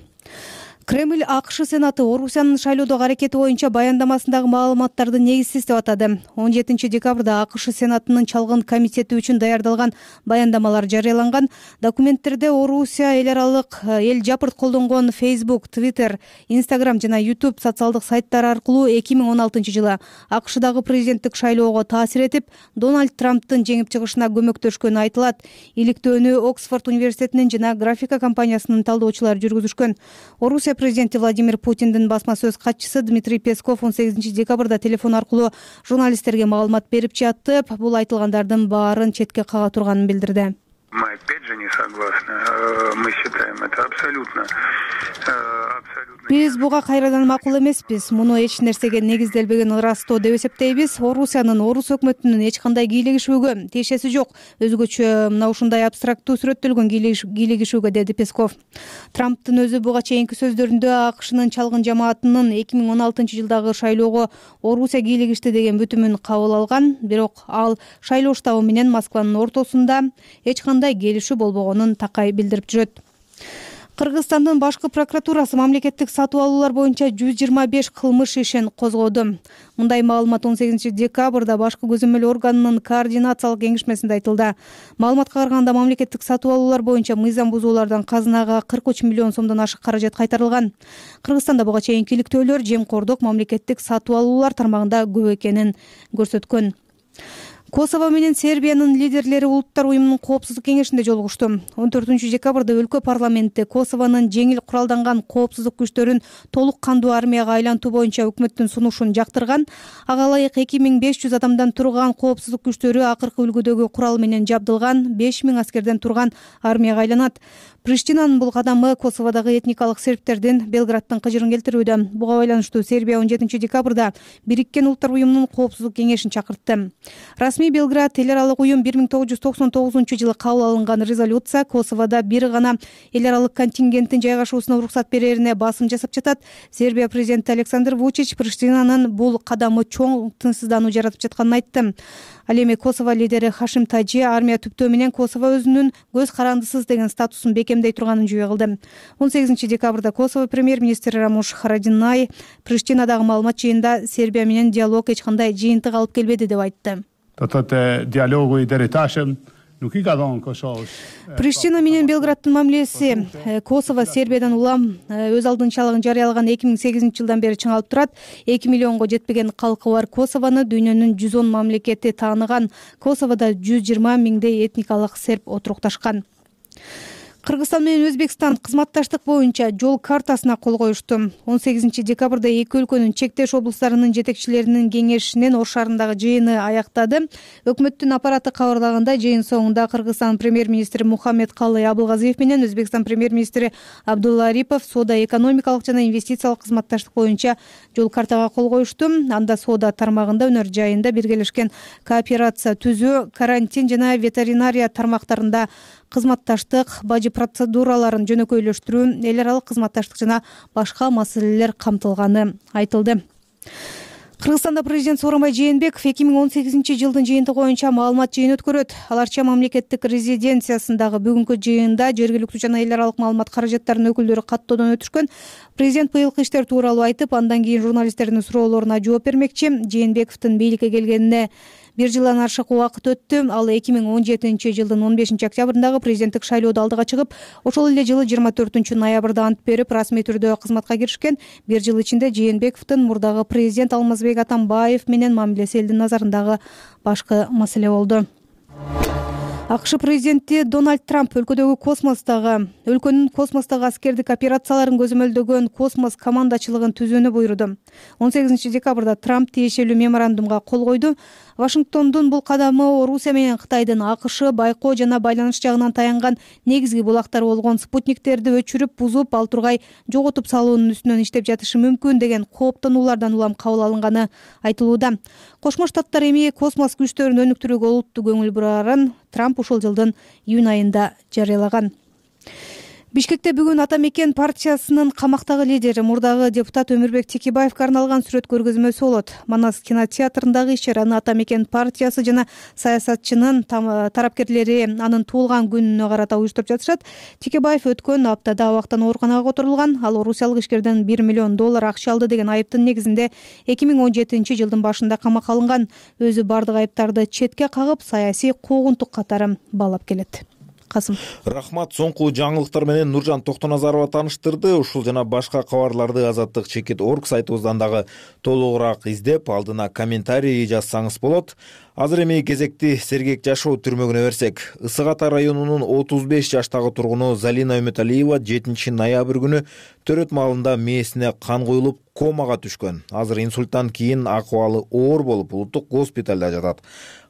S4: Кремль АКШ Сенаты Орусиянын шайлоодогу аракети боюнча баяндамасындагы маалыматтарды негизсиз деп атады. 17 декабрда АКШ Сенатынын чалгын комитети үчүн даярдалган баяндамалар жарыяланган. Документтерде Орусия эл аралык эл жапырт колдонгон Facebook, Twitter, Instagram жана YouTube социалдык сайттары аркылуу 2016 жылы АКШдагы президенттик шайлоого таасир этип, Дональд Трамптын жеңип чыгышына көмөктөшкөнү айтылат. Иликтөөнү Оксфорд университетинин жана графика компаниясынын талдоочулары жүргүзүшкөн. Орусия президенти Владимир Путиндин басма сөз катчысы Дмитрий Песков 18 декабрда телефон аркылуу журналисттерге маалымат берип жатып, бул айтылгандардын баарын четке кага турганын билдирди.
S16: Мы опять же не согласны. Мы считаем это абсолютно.
S4: Биз буга кайрадан макул эмеспиз. Муну эч нерсеге негизделбеген ырастоо деп эсептейбиз. Орусиянын, орус өкмөтүнүн эч кандай кийлигишүүгө тиешеси жок. Өзгөчө мына ушундай абстрактуу сүрөттөлгөн кийлигишүүгө, деди Песков. Трамптын өзү буга чейинки сөздөрүндө АКШнын чалгын жамаатынын 2016 жылдагы шайлоого Орусия кийлигишти деген бүтүмүн кабыл алган. Бирок ал шайлоо штабы менен Москванын ортосунда эч кандай келишүү болбогонун такай билдирип жүрөт. Кыргызстандын башкы прокуратурасы мамлекеттик сатып алуулар боюнча 125 кылмыш ишин козгоду. Мындай маалымат 18 декабрда башкы көзөмөл органынын координациялык кеңешмесинде айтылды. Маалыматка караганда мамлекеттик сатып алуулар боюнча мыйзам бузуулардан казынага 43 миллион сомдон ашык каражат кайтарылган. Кыргызстанда буга чейинки иликтөөлөр жемкордук мамлекеттик сатып алуулар тармагында көп экенин көрсөткөн. Косово менен Сербиянын лидерлери Улуттар уюмунун коопсуздук кеңешинде жолугушту. 14 декабрда өлкө парламенти Косовонун жеңил куралданган коопсуздук күчтөрүн толук кандуу армияга айлантуу боюнча өкмөттүн сунушун жактырган. Ага ылайык 2500 адамдан турган коопсуздук күчтөрү акыркы үлгүдөгү курал менен жабдылган 5000 аскерден турган армияга айланат. Приштинанын бул кадамы Косоводогу этникалык сербтердин Белградтын кыжырын келтирүүдө. Буга байланыштуу Сербия 17 декабрда Бириккен Улуттар уюмунун коопсуздук кеңешин чакыртты. Расмий Белград эл аралык уюм 1999 жылы кабыл алынган резолюция Косоводо бир гана эл аралык контингенттин жайгашуусуна уруксат берерине басым жасап жатат. Сербия президенти Александр Вучич Приштинанын бул кадамы чоң тынчсыздануу жаратып жатканын айтты. Ал эми Косово лидери Хашим Таджи армия түптөө менен Косово өзүнүн көз карандысыз деген статусун бекемдей турганын жүйө кылды. 18 декабрда Косово премьер-министри Рамуш Харадинай Приштинадагы маалымат жыйында Сербия менен диалог эч кандай жыйынтык алып келбеди деп айтты.
S5: Dialogu i där i Taschen,
S4: Приштина менен Белграддын мамилеси Косово Сербиядан улам өз алдынчалыгын жарыялаган 2008 жылдан бери чыңалып турат. 2 миллионго жетпеген калкы бар Косовону дүйнөнүн 110 мамлекети тааныган. Косоводо 120 миңдей этникалык серб отурукташкан. Кыргызстан менен Өзбекстан кызматташтык боюнча жол картасына кол коюшту. 18 декабрда эки өлкөнүн чектеш облустарынын жетекчилеринин кеңешинин Ош шаарындагы жыйыны аяктады. Өкмөттүн аппараты кабарлагандай, жыйын соңунда Кыргызстан премьер-министри Мухаммедкалый Абылгазиев менен Өзбекстан премьер-министри Абдулла Арипов соода экономикалык жана инвестициялык кызматташтык боюнча жол картага кол коюшту. Анда соода тармагында өнөр жайында биргелешкен кооперация түзүү, карантин жана ветеринария тармактарында кызматташтык, бажы процедураларын жөнөкөйлөштүрүү, эл аралык кызматташтык жана башка маселелер камтылганы айтылды. Кыргызстанда президент Сооронбай Жээнбеков 2018 жылдын жыйынтыгы боюнча маалымат жыйын өткөрөт. Аларча мамлекеттик резиденциясындагы бүгүнкү жыйында жергиликтүү жана эл аралык маалымат каражаттарынын өкүлдөрү каттоодон өтүшкөн. Президент быйылкы иштер тууралуу айтып, андан кийин журналисттердин суроолоруна жооп бермекчи. Жээнбековдун бийликке келгенине 1 жылдан ашык убакыт өттү. Ал 2017 жылдын 15 октябрындагы президенттик шайлоодо алдыга чыгып, ошол эле жылы 24 ноябрда ант берип, расмий түрдө кызматка киришкен. 1 жыл ичинде Жээнбековдун мурдагы президент Алмазбек Атамбаев менен мамилеси элдин назарындагы башкы маселе болду. АКШ президенти Дональд Трамп өлкөнүн космостогу аскердик операцияларын көзөмөлдөгөн космос командачылыгын түзүүнү буйруду. 18 декабрда Трамп тиешелүү меморандумга кол койду. Вашингтондун бул кадамы Орусия менен Кытайдын АКШ байкоо жана байланыш жагынан таянган негизги булактар болгон спутниктерди өчүрүп, бузуп, ал тургай жоготуп салуунун үстүнөн иштеп жатышы мүмкүн деген кооптонуулардан улам кабыл алынганы айтылууда. Кошмо Штаттар эми космос күчтөрүн өнүктүрүүгө олуттуу көңүл бурарын Трамп ушул жылдын июнь айында жарыялаган. Бишкекте бүгүн Ата Мекен партиясынын камактагы лидери, мурдагы депутат Өмүрбек Текебаевге арналган сүрөт көргөзмөсү болот. Манас кинотеатрындагы иш-чараны Ата Мекен партиясы жана саясатчынын тарапкерлери анын туулган күнүнө карата уюштуруп жатышат. Текебаев өткөн аптада абактан ооруканага которулган. Ал орусиялык ишкерден $1 миллион акча алды деген айыптын негизинде 2017 жылдын башында камакка алынган. Өзү бардык айыптарды четке кагып, саясий куугунтук катары баалап келет.
S1: Рахмат. Соңку жаңылыктар менен Нуржан Токтоназарова тааныштырды. Ушул жана башка кабарларды Азаттык.org сайтыбыздан дагы толугураак издеп, алдына комментарий жазсаңыз болот. Азыр эми кезекти Сергек жашоо түрмөгүнө берсек. Ысык Ата районунун 35 жаштагы тургуну Залина Үмөталиева 7 ноябрь күнү төрөт маалында мээсине кан куюлуп комага түшкөн. Азыр инсульттан кийин акыбалы оор болуп, улуттук госпиталда жатат.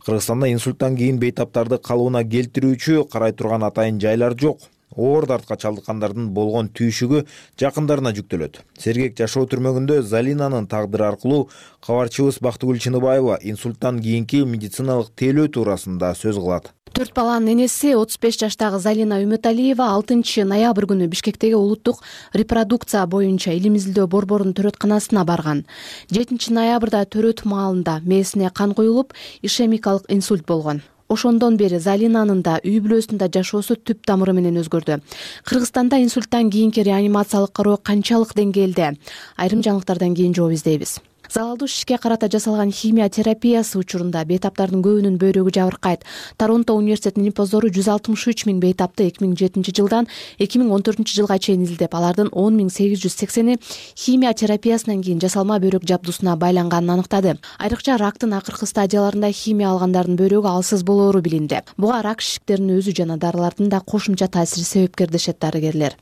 S1: Кыргызстанда инсульттан кийин бейтаптарды калыбына келтирүүчү карай турган атайын жайлар жок. Оор дартка чалдыккандардын болгон түйшүгү жакындарына жүктөлөт. Сергек жашоо түрмөгүндө Залинанын тагдыры аркылуу кабарчыбыз Бактыгүл Чыныбаева инсульттан кийинки медициналык тейлөө туурасында сөз кылат.
S17: 4 баланын энеси 35 жаштагы Залина Үмөталиева 6 ноябрь күнү Бишкектеги улуттук репродукция боюнча илим изилдөө борборунун төрөтканасына барган. 7 ноябрда төрөт маалында мээсине кан куюлуп, ишемикалык инсульт болгон. Ошондон бери Залинанын да үй бүлөсүндө жашоосу түп тамыры менен өзгөрдү. Кыргызстанда инсульттан кийинки реанимациялык кароо канчалык деңгээлде? Айрым жаңылыктардан кийин жооп издейбиз. Залалдуу шишке карата жасалган химия терапиясы учурунда бейтаптардын көбүнүн бөйрөгү жабыркайт. Торонто университетинин импоздору 163 миң бейтапты 2007 жылдан 2014 жылга чейин изилдеп, алардын 10.880-и химия терапиясынан кийин жасалма бөйрөк жабдуусуна байланганын аныктады. Айрыкча рактын акыркы стадияларында химия алгандардын бөйрөгү алсыз болоору билинди. Буга рак шишиктеринин өзү жана дарылардын да кошумча таасири себепкер дешет дарыгерлер.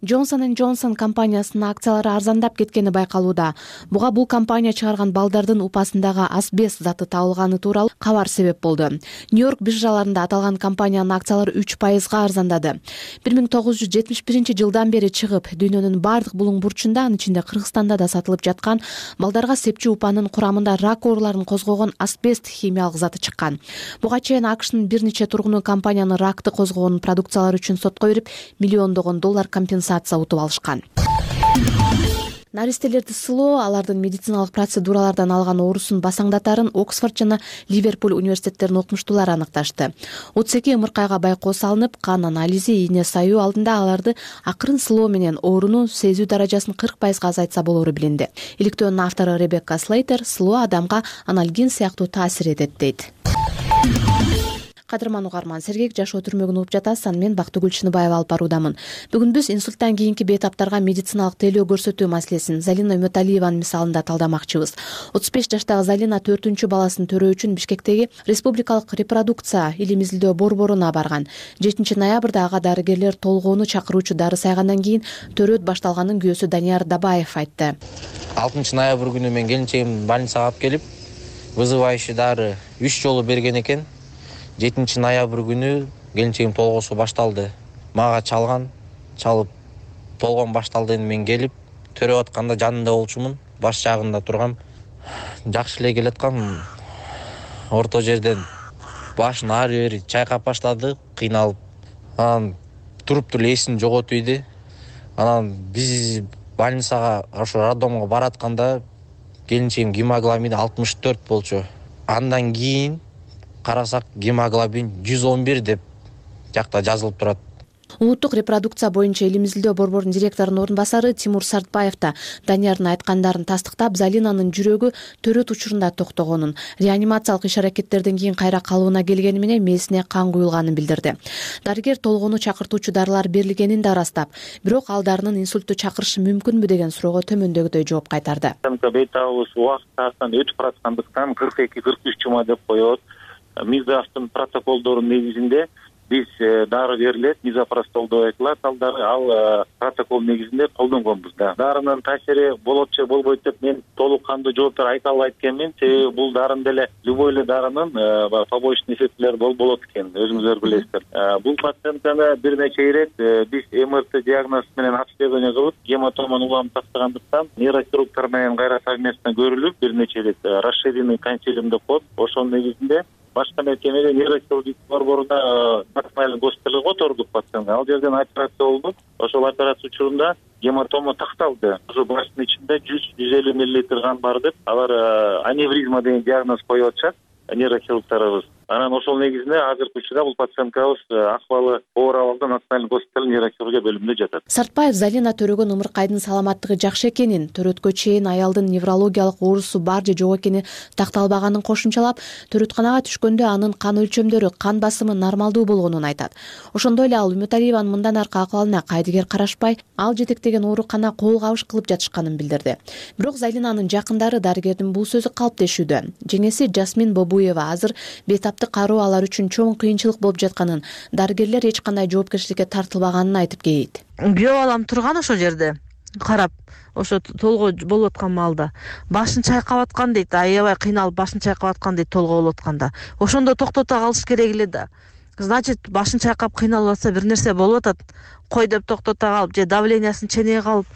S17: Johnson & Johnson компаниясынын акциялары арзандап кеткени байкалууда. Буга бул компания чыгарган балдардын упасындагы асбест заты табылганы тууралуу кабар себеп болду. Нью-Йорк биржаларында аталган компаниянын акциялары 3% арзандады. 1971 жылдан бери чыгып, дүйнөнүн бардык булуң бурчунда, анын ичинде Кыргызстанда да сатылып жаткан балдарга сепчү упанын курамында рак ооруларын козгогон асбест химиялык заты чыккан. Буга чейин АКШнын бир нече тургуну компаниянын ракты козгогон продукциялары үчүн сотко берип, миллиондогон доллар компенсация утуп алышкан. Наристелерди сылоо алардын медициналык процедуралардан алган оорусун басаңдатарын Оксфорд жана Ливерпуль университеттеринин окумуштуулары аныкташты. 32 ымыркайга байкоо салынып, кан анализи, ийне саюу алдында аларды акырын сылоо менен ооруну сезүү даражасын 40% азайтса болоору билинди. Иликтөөнүн автору Ребекка Слейтер сылоо адамга анальгин сыяктуу таасир этет дейт. кадырман угарман, сергек жашоо түрмөгүн угуп жатасыз. Аны мен Бактыгүл Чыныбаева алып баруудамын. Бүгүн биз инсульттан кийинки бейтаптарга медициналык тейлөө көрсөтүү маселесин Залина Үмөталиеванын мисалында талдамакчыбыз. 35 жаштагы Залина 4-үнчү баласын төрөө үчүн Бишкектеги Республикалык репродукция илим изилдөө борборуна барган. 7 ноябрда ага дарыгерлер толгоону чакыруучу дары сайгандан кийин төрөт башталганын күйөөсү Данияр Дабаев айтты.
S18: 6 ноябрь күнү мен келинчегимди больницага алып келип, вызывающий дары 3 жолу берген экен. 7 ноябрь күнү келинчегим толгоосу башталды. Мага чалып толгоом башталды. Мен келип төрөп атканда жанында болчумун, баш жагында тургам. Жакшы эле келаткам. Орто жерден башын ары бери чайкап баштады, кыйналып. Анан туруп эсин жоготуп ийди. Анан биз больницага, ошо роддомго баратканда келинчегим гемоглобини 64 болчу. Андан кийин карасак гемоглобин 111 деп жакта жазылып турат.
S17: Улуттук репродукция боюнча илим изилдөө борборунун директорунун орун басары Тимур Сартбаев да Даниярдын айткандарын тастыктап, Залинанын жүрөгү төрөт учурунда токтогонун, реанимациялык иш-аракеттерден кийин кайра калыбына келгени менен мээсине кан куюлганын билдирди. Дарыгер толгоону чакыртуучу дарылар берилгенин да ырастап, бирок ал дарынын инсультту чакырышы мүмкүнбү деген суроого төмөндөгүдөй жооп кайтарды.
S19: Бейтабыбыз убакыт таштан өтүп бараткандыктан 42-43 жума деп коет. Мизастын протоколдорунун негизинде биз дары берилет, мизопростол деп айтылат. Ал протокол негизинде колдонгонбуз да. Дарынын таасири болот же болбойт деп мен толук кандуу жооптор айта албайт экенмин. Себеби бул дарын деле любой эле дарынын побочный эффектилери болот экен, өзүңүздөр билесиздер. Бул пациентканы бир нече ирет биз МРТ диагноз менен обследование кылып, гематоманы уламып тастагандыктан нейрохирургтар менен кайра совместно көрүлүп, бир нече ирет расширенный консилиум деп коет. Ошонун негизинде башка мекемеде нейрохирургия борборунда национальный госпиталга котордук пациентти. Ал жерден операция болду. Ошол операция учурунда гематома такталды. Ошо баштын ичинде 100-150 мл кан бар деп, алар аневризма деген диагноз коюп атышат нейрохирургтарыбыз. Анан ошол негизинде азыркы учурда бул пациенткабыз акыбалы оор абалда национальный госпиталь нейрохирургия бөлүмүндө жатат.
S17: Сартбаев Залина төрөгөн ымыркайдын саламаттыгы жакшы экенин, төрөткө чейин аялдын неврологиялык оорусу бар же жок экени такталбаганын кошумчалап, төрөтканага түшкөндө анын кан өлчөмдөрү, кан басымы нормалдуу болгонун айтат. Ошондой эле ал Үмөталиеванын мындан аркы акыбалына кайдыгер карашпай, ал жетектеген оорукана кол кабыш кылып жатышканын билдирди. Бирок Залинанын жакындары дарыгердин бул сөзү калптешүүдө. Жеңеси Жасмин Бобуева азыр бейтаптык кароо алар үчүн чоң кыйынчылык болуп жатканын, дарыгерлер эч кандай жоопкерчиликке тартылбаганын айтып кейт.
S20: Күйөө балам турган ошол жерде карап, ошо толгоо болуп аткан маалда башын чайкап аткан дейт, аябай кыйналып башын чайкап аткан дейт толгоо болуп атканда. Ошондо токтото калыш керек эле да. Значит, башын чайкап кыйналып атса бир нерсе болуп атат. Кой деп токтото калып же давлениясын ченеге калып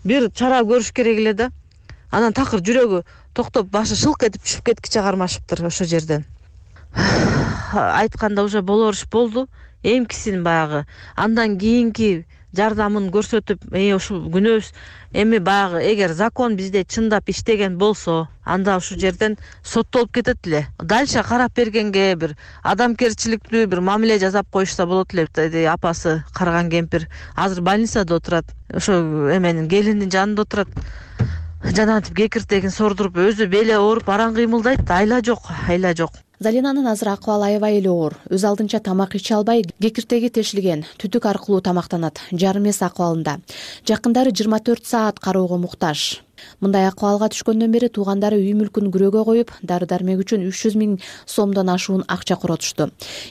S20: бир чара көрүш керек эле да. Анан такыр жүрөгү токтоп башы шылк этип түшүп кеткиче кармашыптыр ошол жерден. Айтканда уже болор иш болду. Эмкисин баягы андан кийинки жардамын көрсөтүп, ушул күнөөбүз эми баягы эгер закон бизде чындап иштеген болсо, анда ушул жерден соттолуп кетет эле. Дальше карап бергенге бир адамгерчиликтүү бир мамиле жасап коюшса болот эле. Апасы карган кемпир азыр больницада отурат. Ошо эменин келинин жанында отурат. Жанагынтип кекиртегин сордуруп, өзү беле ооруп, аран кыймылдайт. Айла жок. Залинанын азыр акыбалы аябай эле оор. Өз алдынча тамак иче албай, кекиртеги тешилген, түтүк аркылуу тамактанат. Жарым эс акыбалында. Жакындары 24 саат кароого муктаж. Мындай акыбалга түшкөндөн бери туугандары үй мүлкүн күрөөгө коюп, дары-дармек үчүн 300 000 сомдон ашуун акча коротушту.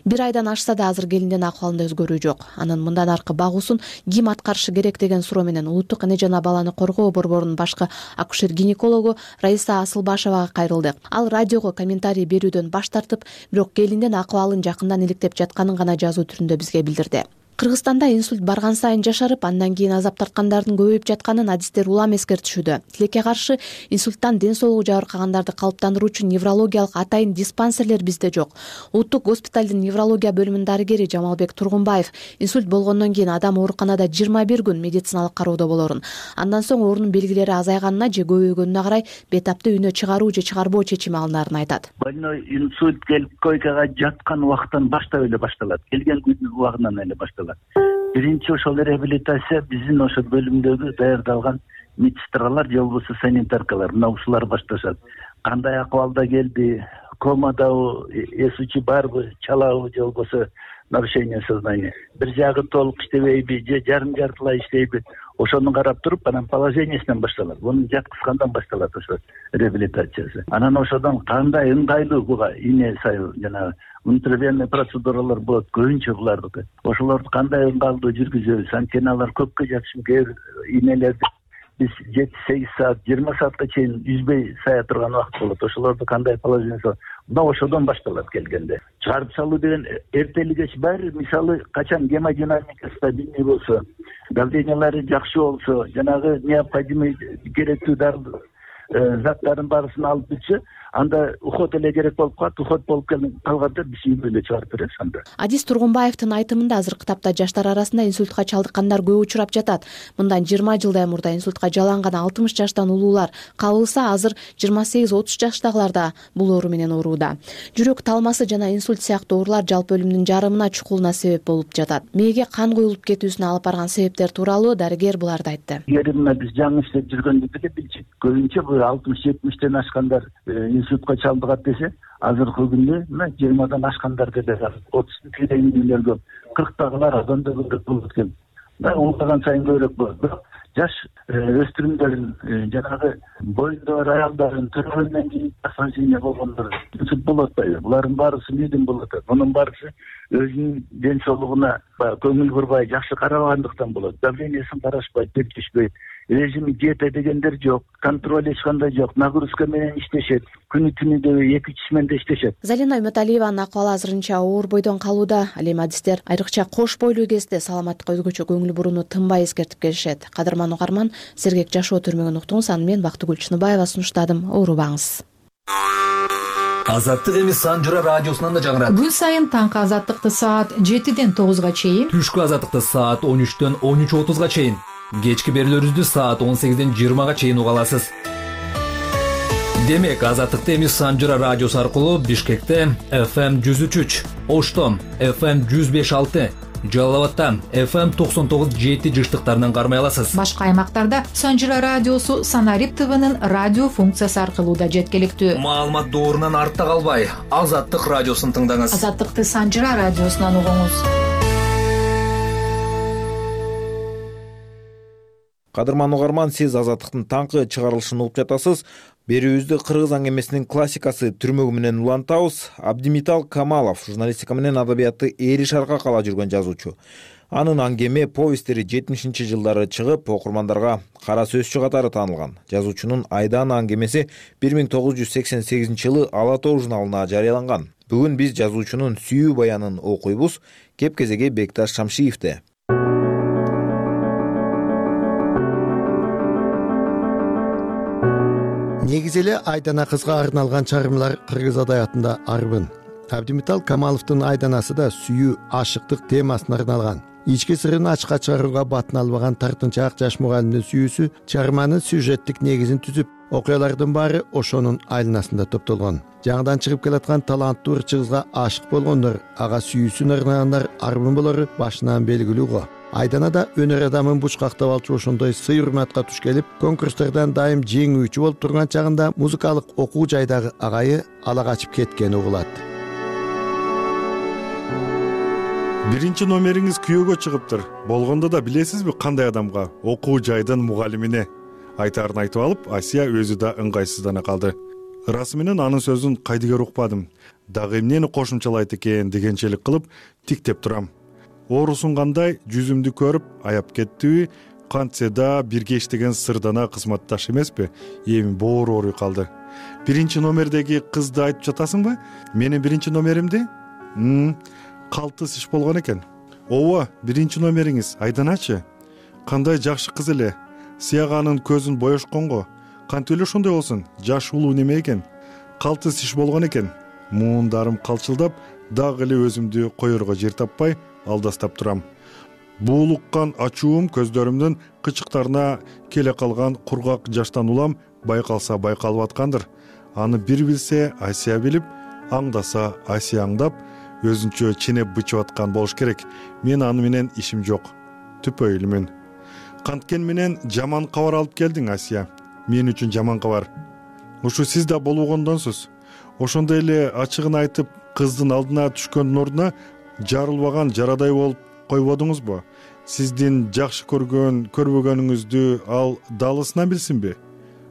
S20: Бир айдан ашса да азыр келиндин акыбалында өзгөрүү жок. Анын мындан аркы багуусун ким аткарышы керек деген суроо менен Улуттук эне жана баланы коргоо борборунун башкы акушер-гинекологу Раиса Асылбашевага кайрылдык. Ал радиого комментарий берүүдөн баш тартып, бирок келиндин акыбалын жакындан иликтеп жатканын гана жазуу түрүндө бизге билдирди. Кыргызстанда инсульт барган сайын жашарып, андан кийин азап тарткандардын көбөйүп жатканын адистер улам эскертишүүдө. Тилекке каршы инсульттан ден соолугу жабыркагандарды калыптандыруучу неврологиялык атайын диспансерлер бизде жок. Улуттук госпиталдын неврология бөлүмүнүн дарыгери Жамалбек Тургунбаев инсульт болгондон кийин адам ооруканада 21 күн медициналык кароодо болорун. Андан соң оорунун белгилери азайганына же көбөйгөнүнө карай бетапты үйүнө чыгаруу же чыгарбоо чечими алынарын айтат.
S21: Больной инсульт келип койкага жаткан убактан баштап эле башталат. Келген күндүн убагынан эле башталат. Биринчи ошол реабилитация биздин ошол бөлүмдөгү даярдалган медсестралар же болбосо санитаркалар, мына ушулар башташат. Кандай акыбалда келди, комадабы, эс учу барбы, чалабы же болбосо нарушение сознания. Бир жагы толук иштебейби же жарым жартылай иштейби, ошону карап туруп анан положениесинен башталат. Мунун жаткызгандан башталат ошо реабилитациясы. Анан ошодон кандай ыңгайлуу буга ине сайыл жанагы внутривенный процедуралар болот, көбүнчө булардыкы. Ошолорду кандай ыңгайлуу жүргүзөбүз? Анткени алар көпкө жатышым кээ бир инелерди биз 7-8 саат, 20 саатка чейин үзбөй сая турган убакыт болот. Ошолорду кандай положение? Мына ошодон башталат келгенде. Чыгарып салуу деген эртели кеч баары, мисалы качан гемодинамикасы билиний болсо, давлениялары жакшы болсо, жанагы необходимый керектүү заттардын баарысын алып бүтсө, анда уход эле керек болуп калат. Уход болуп калганда биз үйгө чыгарып беребиз анда.
S17: Адис Тургунбаевдин айтымында азыркы тапта жаштар арасында инсультка чалдыккандар көп учурап жатат. Мындан 20 жылдай мурда инсультка жаланган 60 жаштан улуулар кабылса, азыр 28-30 жаштагылар да бул оору менен оорууда. Жүрөк талмасы жана инсульт сыяктуу оорулар жалпы өлүмдүн жарымына чукулуна себеп болуп жатат. Мээге кан куюлуп кетүүсүнө алып барган себептер тууралуу дарыгер буларды айтты.
S21: Мына биз жаңы иштеп жүргөндүгү билчүк. Көбүнчө бул 60-70тен ашкандар инсультка чалдыгат десе, азыркы күндө 20дан ашкандар деле бар. 30 тегендейлер көп. 40тагылар абдан да көбүрөөк болот экен. Улгайган сайын көбүрөөк болот. Бирок жаш өспүрүмдөрдүн жанагы боюнда бар аялдардын төрөгөндөн кийин осложнение болгондор инсульт болуп атпайбы? Булардын баарысы мээден болуп атат. Мунун баарысы өзүнүн ден соолугуна көңүл бурбай, жакшы карабагандыктан болот. Давлениесин карашпайт, тепкичпейт. Режими диета дегендер жок, контроль эч кандай жок, нагрузка менен иштешет, күнү-түнү 2-3 сменде иштешет.
S17: Залина Үмөталиеванын акыбалы азырынча оор бойдон калууда. Ал эми адистер айрыкча кош бойлуу кезде саламаттыкка өзгөчө көңүл бурууну тынбай эскертип келишет. Кадырман угарман, сергек жашоо түрмөгөн уктуңуз. Аны мен Бактыгүл Чыныбаева сунуштадым. Оорубаңыз.
S2: Азаттык эми Санжыра радиосунан да жаңырат.
S22: Күн сайын таңкы азаттыкты саат 7ден 9га чейин,
S2: түшкү азаттыкты саат 13дөн 13:30га чейин, кечки берүүлөрүбүздү саат 18ден 20га чейин уга аласыз. Демек, азаттыкты эми Санжыра радиосу аркылуу Бишкекте FM 103, Ошто FM 105.6, Жалал абадта FM 99.7 жыштыктарынан кармай аласыз.
S22: Башка аймактарда Санжыра радиосу Санарип ТВнын радио функциясы аркылуу да жеткиликтүү.
S2: Маалымат доорунан артта калбай, Азаттык радиосун тыңдаңыз.
S22: Азаттыкты Санжыра радиосунан угуңуз.
S1: Кадырман угарман, сиз Азаттыктын таңкы чыгарылышын угуп жатасыз. Берүүбүздү кыргыз аңгемесинин классикасы түрмөгү менен улантабыз. Абдимитал Камалов журналистика менен адабиятты ээриш арка кала жүргөн жазуучу. Анын аңгеме повесттери 70-жылдары чыгып, окурмандарга кара сөзчү катары таанылган. Жазуучунун Айдана аңгемеси 1988-жылы Ала Тоо журналына жарыяланган. Бүгүн биз жазуучунун сүйүү баянын окуйбуз. Кеп-кезеги Бекташ Шамшиевде.
S9: Негизи эле Айдана кызга арналган чыгармалар кыргыз адабиятында арбын. Абдимитал Камаловдун Айданасы да сүйүү, ашыктык темасына арналган. Ички сырын ачка чыгарууга батын албаган тартынчаак жаш мугалимдин сүйүүсү чыгарманын сюжеттик негизин түзүп, окуялардын баары ошонун айланасында топтолгон. Жаңыдан чыгып келаткан таланттуу ырчы кызга ашык болгондор, ага сүйүүсүн арнагандар арбын болору башынан белгилүү го. Айданада өнөр адамын бучкактап алчу ошондой сый урматка туш келип, конкурстардан дайым жеңүүчү болуп турган чагында музыкалык окуу жайдагы агайы ала качып кеткени угулат.
S23: Биринчи номериңиз күйөөгө чыгыптыр. Болгондо да билесизби кандай адамга? Окуу жайдын мугалимине. Айтаарын айтып алып, Асия өзү да ыңгайсыздана калды. Ырасы менен анын сөзүн кайдыгер укпадым. Дагы эмнени кошумчалайт экен дегенчелик кылып тиктеп турам. Оорусун кандай жүзүмдү көрүп аяп кеттиби, кантсе да бирге иштеген сырдана кызматташ эмеспи? Эми боору ооруй калды. Биринчи номердеги кызды айтып жатасыңбы? Менин биринчи номеримди? Калтыс иш болгон экен. Ооба, биринчи номериңиз Айданачы. Кандай жакшы кыз эле. Сыяганын көзүн боешконго. Кантип эле ошондой болсун? Жаш улуу неме экен? Калтыс иш болгон экен. Муундарым калчылдап, дагы эле өзүмдү коерго жер таппай алдастап турам. Буулуккан ачуум көздөрүмдүн кычыктарына келе калган кургак жаштан улам байкалса байкалып аткандыр. Аны бир билсе Асия билип, аңдаса Асия аңдап, өзүнчө ченеп бычып аткан болуш керек. Мен аны менен ишим жок. Түпөйлүмүн. Канткен менен жаман кабар алып келдиң, Асия. Мен үчүн жаман кабар. Ушу сиз да болгондонсуз. ошондой эле ачыгын айтып кыздын алдына түшкөндүн ордуна жарылбаган жарадай болуп койбодуңузбу? Сиздин жакшы көрбөгөнүңүздү ал далысынан билсинби?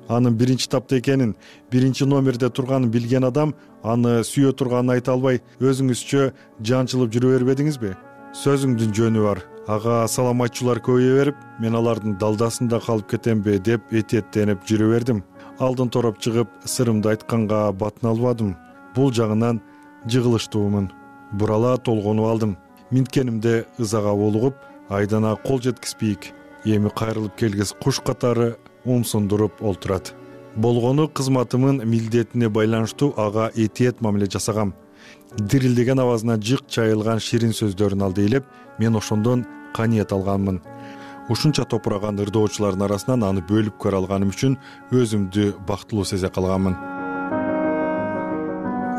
S23: Анын биринчи тапта экенин, биринчи номерде турганын билген адам аны сүйө турганын айта албай өзүңүзчө жанчылып жүрө бербедиңизби? Сөзүңдүн жөнү бар. Ага салам айтчулар көбөйө берип, мен алардын далдасында калып кетемби деп этиеттенип жүрө бердим. Алдын тороп чыгып, сырымды айтканга батын албадым. Бул жагынан жыгылыштуумун. Бурала толгонуп алдым. Минткенимде ызага булугуп, Айдана кол жеткизбейик. Эми кайрылып келгис куш катары умсундуруп олтурат. Болгону кызматымын милдетине байланыштуу ага этиет мамиле жасагам. Дирилдеген абазына жык чайылган ширин сөздөрүн алды элеп, мен ошондон каниет алганмын. Ушунча топураган ырдоочулардын арасынан аны бөлүп көрө алганым үчүн өзүмдү бактылуу сезе калганмын.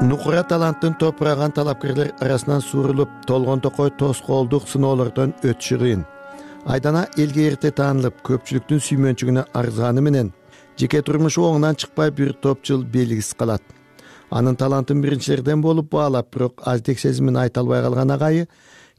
S9: Нукура таланттын топураган талапкерлер арасынан суурулуп, толгон токой тоскоолдук сыноолордон өтүшү кыйын. Айдана элге эрте таанылып, көпчүлүктүн сүймөнчүгүнө арзганы менен жеке турмушу оңунан чыкпай бир топ жыл белгисиз калат. Анын талантын биринчилерден болуп баалап, бирок аздек сезимин айта албай калган агайы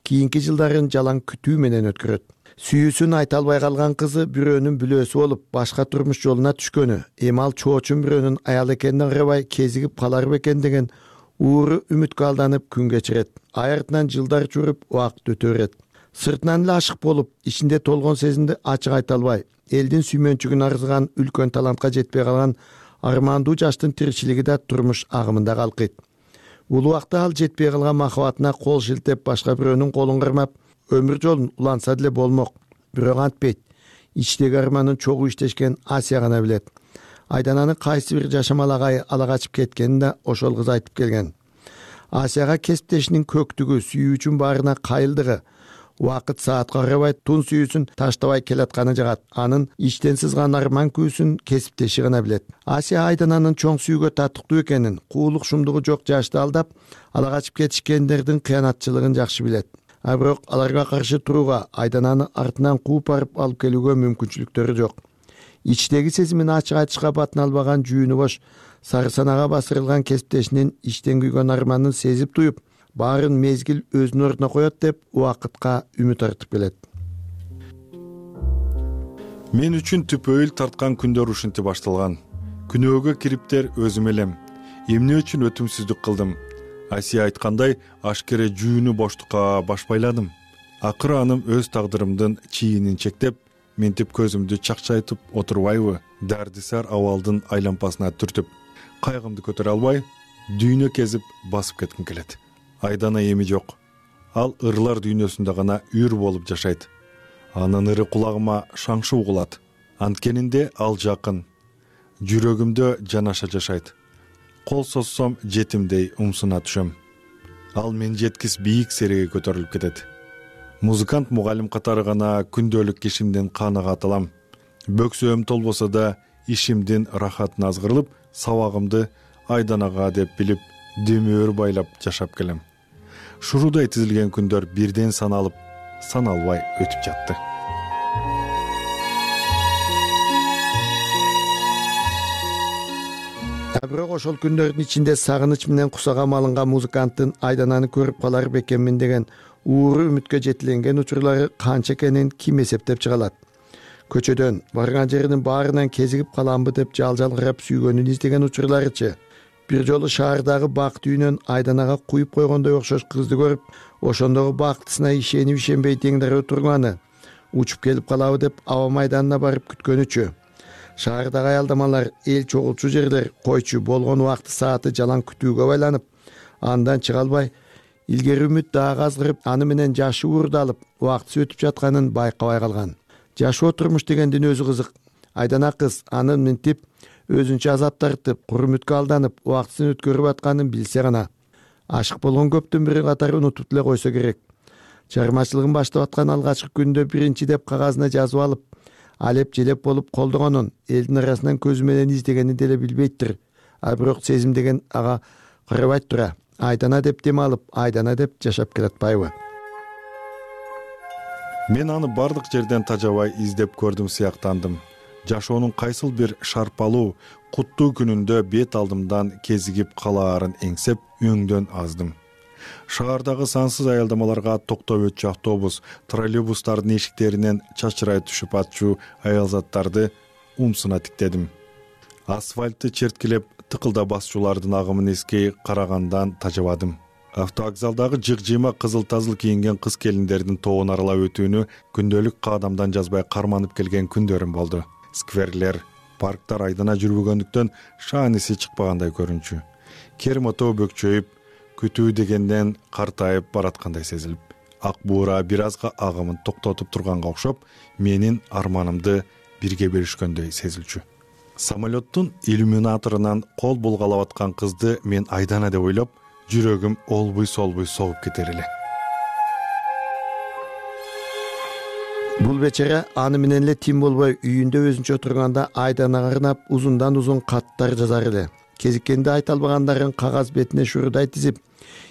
S9: кийинки жылдарын жалаң күтүү менен өткөрөт. Сүйүүсүн айта албай калган кызы бирөөнүн бүлөөсү болуп, башка турмуш жолуна түшкөнү, эми ал чоочун бирөөнүн аял экенине карабай кезигип калар бекен деген ууру үмүткө алданып күн кечирет. Ай артынан жылдар жүрүп, убакыт өтө берет. Сыртынан эле ашык болуп, ичинде толгон сезимди ачык айта албай, элдин сүймөнчүгүн арзыган үлкөн талантка жетпей калган армандуу жаштын тиричилиги да турмуш агымында калкыйт. Бул убакта ал жетпей калган махабатына кол шилтеп, башка бирөөнүн колун кармап, өмүр жолун уланса деле болмок. Бирок антпейт. Ичтеги арманын чогуу иштешкен Асия гана билет. Айдананы кайсы бир жашамал агайы ала качып кеткенин да ошол кыз айтып келген. Асияга кесиптешинин көктүгү, сүйүүчүн баарына кайылдыгы, убакыт саатка карабай тун сүйүүсүн таштабай келатканы жагат. Анын ичтен сызган арман күүсүн кесиптеши гана билет. Асия Айдананын чоң сүйүүгө татыктуу экенин, куулук шумдугу жок жашты алдап, ала качып кетишкендердин кыянатчылыгын жакшы билет. А бирок аларга каршы турууга, Айдананы артынан кууп барып алып келүүгө мүмкүнчүлүктөрү жок. Ичтеги сезимин ачык айтышка батын албаган жүүнү бош, сары санага басырылган кесиптешинин иштен күйгөн арманын сезип туюп, баарын мезгил өзүнүн ордуна коет деп убакытка үмүт артып келет.
S23: Мен үчүн түпөйүл тарткан күндөр ушинтип башталган. Күнөөгө кириптер өзүм элем. Эмне үчүн өтүмсүздүк кылдым? Асия айткандай, ашкере жүүнү боштукка башпайладым. Акыры аным өз тагдырымдын чийинин чектеп, ментип көзүмдү чакчайтып отурбайбы? Дардисар абалдын айлампасына түртүп, кайгымды көтөрө албай, дүйнө кезип басып кетким келет. Айдана эми жок. Ал ырлар дүйнөсүндө гана үр болуп жашайт. Анын ыры кулагыма шаңшы угулат. Анткенинде ал жакын. Жүрөгүмдө жанаша жашайт. Кол созсом жетимдей умсуна түшөм. Ал мен жеткис бийик сереге көтөрүлүп кетет. Музыкант мугалим катары гана күндөлүк ишимден канагат алам. Бөксөм толбосо да ишимдин рахатын азгырылып, сабагымды Айданага деп билип, дөмөр байлап жашап келем. Шурудай тизилген күндөр бирден саналып, саналбай өтүп жатты.
S9: Бирок ошол күндөрдүн ичинде сагыныч менен кусагам алынган музыканттын Айдананы көрүп калар бекенмин деген ууру үмүткө жетиленген учурлары канча экенин ким эсептеп чыга алат? Көчөдөн барган жеринин баарынан кезигип каламбы деп жал-жал карап сүйгөнүн издеген учурларычы. Бир жолу шаардагы бакт үйүнөн Айданага куюп койгондой окшош кызды көрүп, ошондогу бактысына ишенип-ишенбей теңдер турганы, учуп келип калабы деп аба майданына барып күткөнүчү. Шаардагы аялдамалар, эл чогулчу жерлер, койчу болгон убакты сааты жалаң күтүүгө байланып, андан чыга албай, илгери үмүт дагы азгырып, аны менен жашы уурдалып, убактысы өтүп жатканын байкабай калган. Жашоо турмуш дегендин өзү кызык. Айдана кыз анын минтип, өзүнчө азап тартып, кур үмүткө алданып, убактысын өткөрүп атканын билсе гана. Ашык болгон көптүн бири катары унутуп деле койсо керек. Чыгармачылыгын баштап аткан алгачкы күндө биринчи деп кагазына жазып алып, алеп желеп болуп колдогонун, элдин арасынан көзү менен издегенин деле билбейттир. А бирок сезим деген ага карабайт тура. Айдана деп дем алып, Айдана деп жашап келатпайбы?
S23: Мен аны бардык жерден тажабай издеп көрдүм сыяктандым. жашоонун кайсыл бир шарпалуу куттуу күнүндө бет алдымдан кезигип калаарын эңсеп өңдөн аздым. Шаардагы сансыз аялдамаларга токтоп өтчү автобус, троллейбустардын эшиктеринен чачырай түшүп атчу аялзаттарды умсуна тиктедим. Асфальтты черткилеп тыкылда басчулардын агымын эскей карагандан тажабадым. Автовокзалдагы жык-жыйма кызыл-тазыл кийинген кыз келиндердин тобун аралап өтүүнү күндөлүк каадамдан жазбай карманып келген күндөрүм болду. Скверлер, парктар айдана жүрбөгөндүктөн шааниси чыкпагандай көрүнчү. Кермотоо бөкчөйүп, күтүү дегенден картайып бараткандай сезилип, ак буура бир азга агымын токтотуп турганга окшоп, менин арманымды бирге беришкөндөй сезилчү. Самолеттун иллюминаторунан кол булгалап аткан кызды мен Айдана деп ойлоп, жүрөгүм олбуй-солбуй согуп кетер эле.
S9: Бул бечара аны менен эле тим болбой үйүндө өзүнчө отурганда Айданага арнап узундан узун каттар жазар эле. Кезиккенде айта албагандарын кагаз бетине шурудай тизип,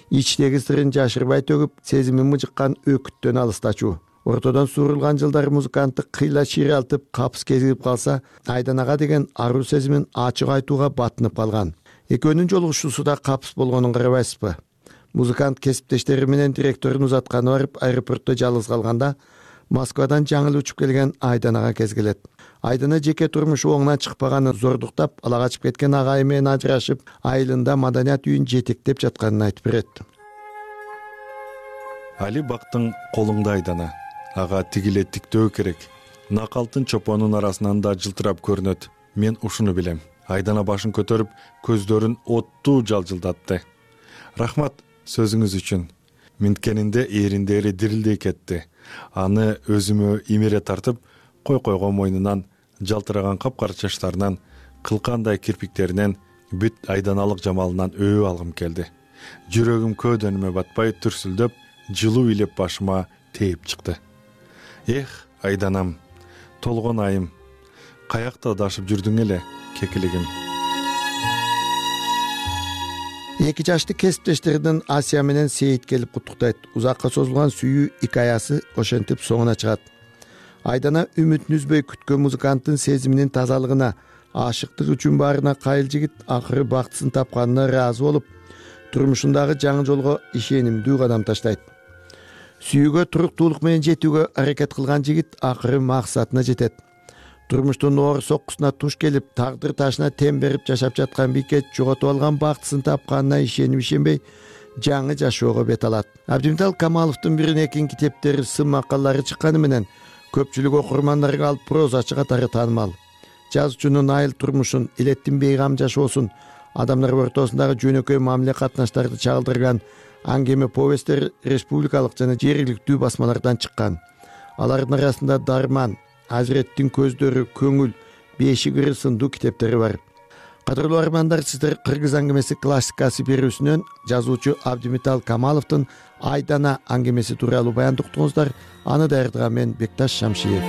S9: ичтеги сырын жашырбай төгүп, сезими мыжыккан өкүттөн алыстачу. Ортодон suurulган жылдар музыкантты кыйла ширалтып, капыс кезигип калса, Айданага деген аруу сезимин ачык айтууга батынып калган. Экөөнүн жолугушуусу да капыс болгонун карабайсызбы? Музыкант кесиптештери менен директорун узатканы барып аэропортто жалгыз калганда, Москвадан жаңы учуп келген Айданага кез келет. Айдана жеке турмушу оңунан чыкпаганын зордуктап, ала качып кеткен агайы менен ажырашып, айылында маданият үйүн жетектеп жатканын айтып берет.
S23: Али бактың колуңда Айдана. Ага тигиле тиктөө керек. Накалтын чопонун арасынан да жылтырап көрүнөт. Мен ушуну билем. Айдана башын көтөрүп, көздөрүн оттуу жалжылдатты. Рахмат сөзүңүз үчүн. Минткенинде эриндери дирилдей кетти. Аны өзүмө имере тартып, койгон мойнунан, жалтыраган капкара чачтарынан, кылкандай кирпиктеринен, бүт айданалык жамалынан өбүп алгым келди. Жүрөгүм көөдөнүмө батпай түрсүлдөп, жылуу илеп башыма тээп чыкты. Эх, Айданам, толгон айым, каякта дашып жүрдүң эле, кекилигим.
S9: Эки жашты кесиптештеринен Асия менен Сейит келип куттуктайт. Узакка созулган сүйүү икаясы ошентип соңуна чыгат. Айдана үмүтүн үзбөй күткөн музыканттын сезиминин тазалыгына, ашыктык үчүн баарына кайыл жигит акыры бактысын тапканына ыраазы болуп, турмушундагы жаңы жолго ишенимдүү кадам таштайт. Сүйүүгө туруктуулук менен жетүүгө аракет кылган жигит акыры максатына жетет. Турмуштун оор соккусуна туш келип, тагдыр ташына тем берип жашап жаткан бийкет жоготуп алган бактысын тапканына ишенишенбей, жаңы жашоого бет алат. Абдимитал Камаловдун бирин экин китептери, сын макалалары чыкканы менен көпчүлүк окурмандарга алып прозачы катары таанымал. Жазуучунун айыл турмушун, илеттин бейгам жашоосун, адамдар ортосундагы жөнөкөй мамиле катнаштарды чагылдырган аңгеме повесттер республикалык жана жергиликтүү басмалардан чыккан. Алардын арасында Дарман, Азиреттин көздөрү, Көңүл, Бешик ыры сындуу китептери бар. Кадырлуу армандар, сиздер Кыргыз аңгемеси классикасы берүүсүнөн жазуучу Абдимитал Камаловдун Айдана аңгемеси тууралуу баяндоо уктуңуздар. Аны даярдаган мен Бекташ Шамшиев.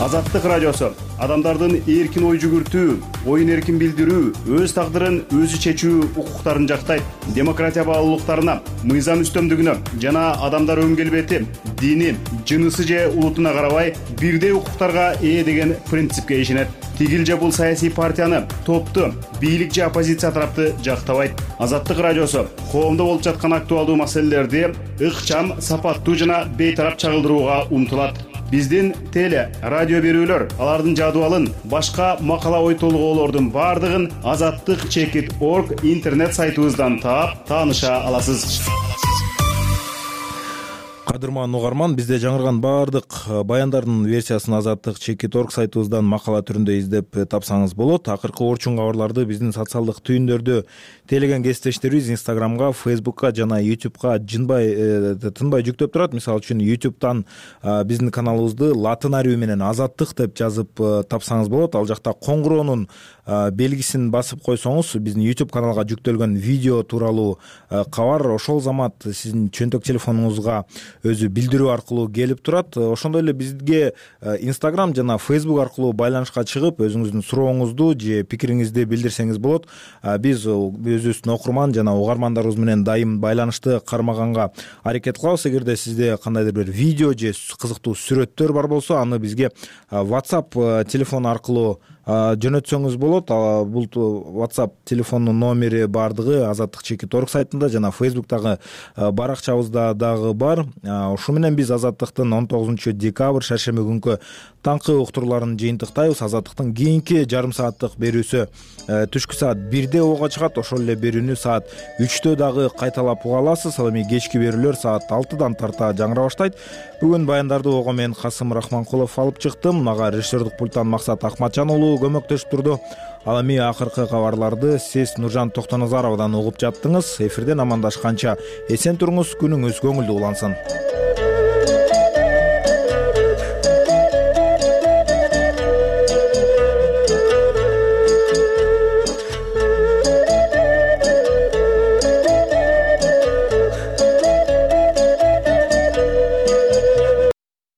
S6: Азаттык радиосу адамдардын эркин ой жүгүртүү, оюн эркин билдирүү, өз тагдырын өзү чечүү укуктарын жактайт. Демократия баалуулуктарына, мыйзам үстөмдүгүнө жана адамдар өң келбети, дини, жынысы же улутуна карабай бирдей укуктарга ээ деген принципке ишенет. Тигил же бул саясий партияны, топту, бийлик же оппозиция тарапты жактабайт. Азаттык радиосу коомдо болуп жаткан актуалдуу маселелерди ыкчам, сапаттуу жана бейтарап чагылдырууга умтулат. Биздин теле, радио берүүлөр, алардын жадыбалын, башка макала ой толгоолордун бардыгын azattik.org интернет сайтыбыздан таап, тааныша аласыз.
S1: Кадырман угарман, бизде жаңырган баардык баяндардын версиясын azattik.org сайтыбыздан макала түрүндө издеп тапсаңыз болот. Акыркы орчун кабарларды биздин социалдык түйүндөрдө тейлеген кесиптештерибиз Instagramга, Facebookка жана YouTubeга тынбай жүктөп турат. Мисалы үчүн YouTube'дан биздин каналыбызды латын арабы менен азаттык деп жазып тапсаңыз болот. Ал жакта коңгуроонун белгисин басып койсоңуз, биздин YouTube каналга жүктөлгөн видео тууралуу кабар ошол замат сиздин чөнтөк телефонуңузга өзү билдирүү аркылуу келип турат. Ошондой эле бизге Instagram жана Facebook аркылуу байланышка чыгып өзүңүздүн сурооңузду же пикириңизди билдирсеңиз болот. Биз өзүбүздүн окурман жана угармандарыбыз менен дайым байланышты кармаганга аракет кылабыз. Эгерде сизде кандайдыр бир видео же кызыктуу сүрөттөр бар болсо, аны бизге WhatsApp телефону аркылуу жөнөтсөңүз болот. Бул WhatsApp телефонунун номери баардыгы Азаттык /Орг сайтында жана Facebook'тагы баракчабызда дагы бар. Ушу менен биз Азаттыктын 19 декабрь шаршемби күнкү таңкы уктурууларын жыйынтыктайбыз. Азаттыктын кийинки жарым сааттык берүүсү түшкү саат 1де ого чыгат. Ошол эле берүүнү саат 3тө дагы кайталап уга аласыз. Ал эми кечки берүүлөр саат 6дан тарта жаңыра баштайт. Бүгүн баяндарды ого мен Касым Рахманкулов алып чыктым. Мага режиссердук пульттан Максат Акматжан уулу көмөктөшүп турду. Ал эми акыркы кабарларды сиз Нуржан Токтоназаровадан угуп жаттыңыз. Эфирден амандашканча эсен туруңуз, күнүңүз көңүлдүү улансын.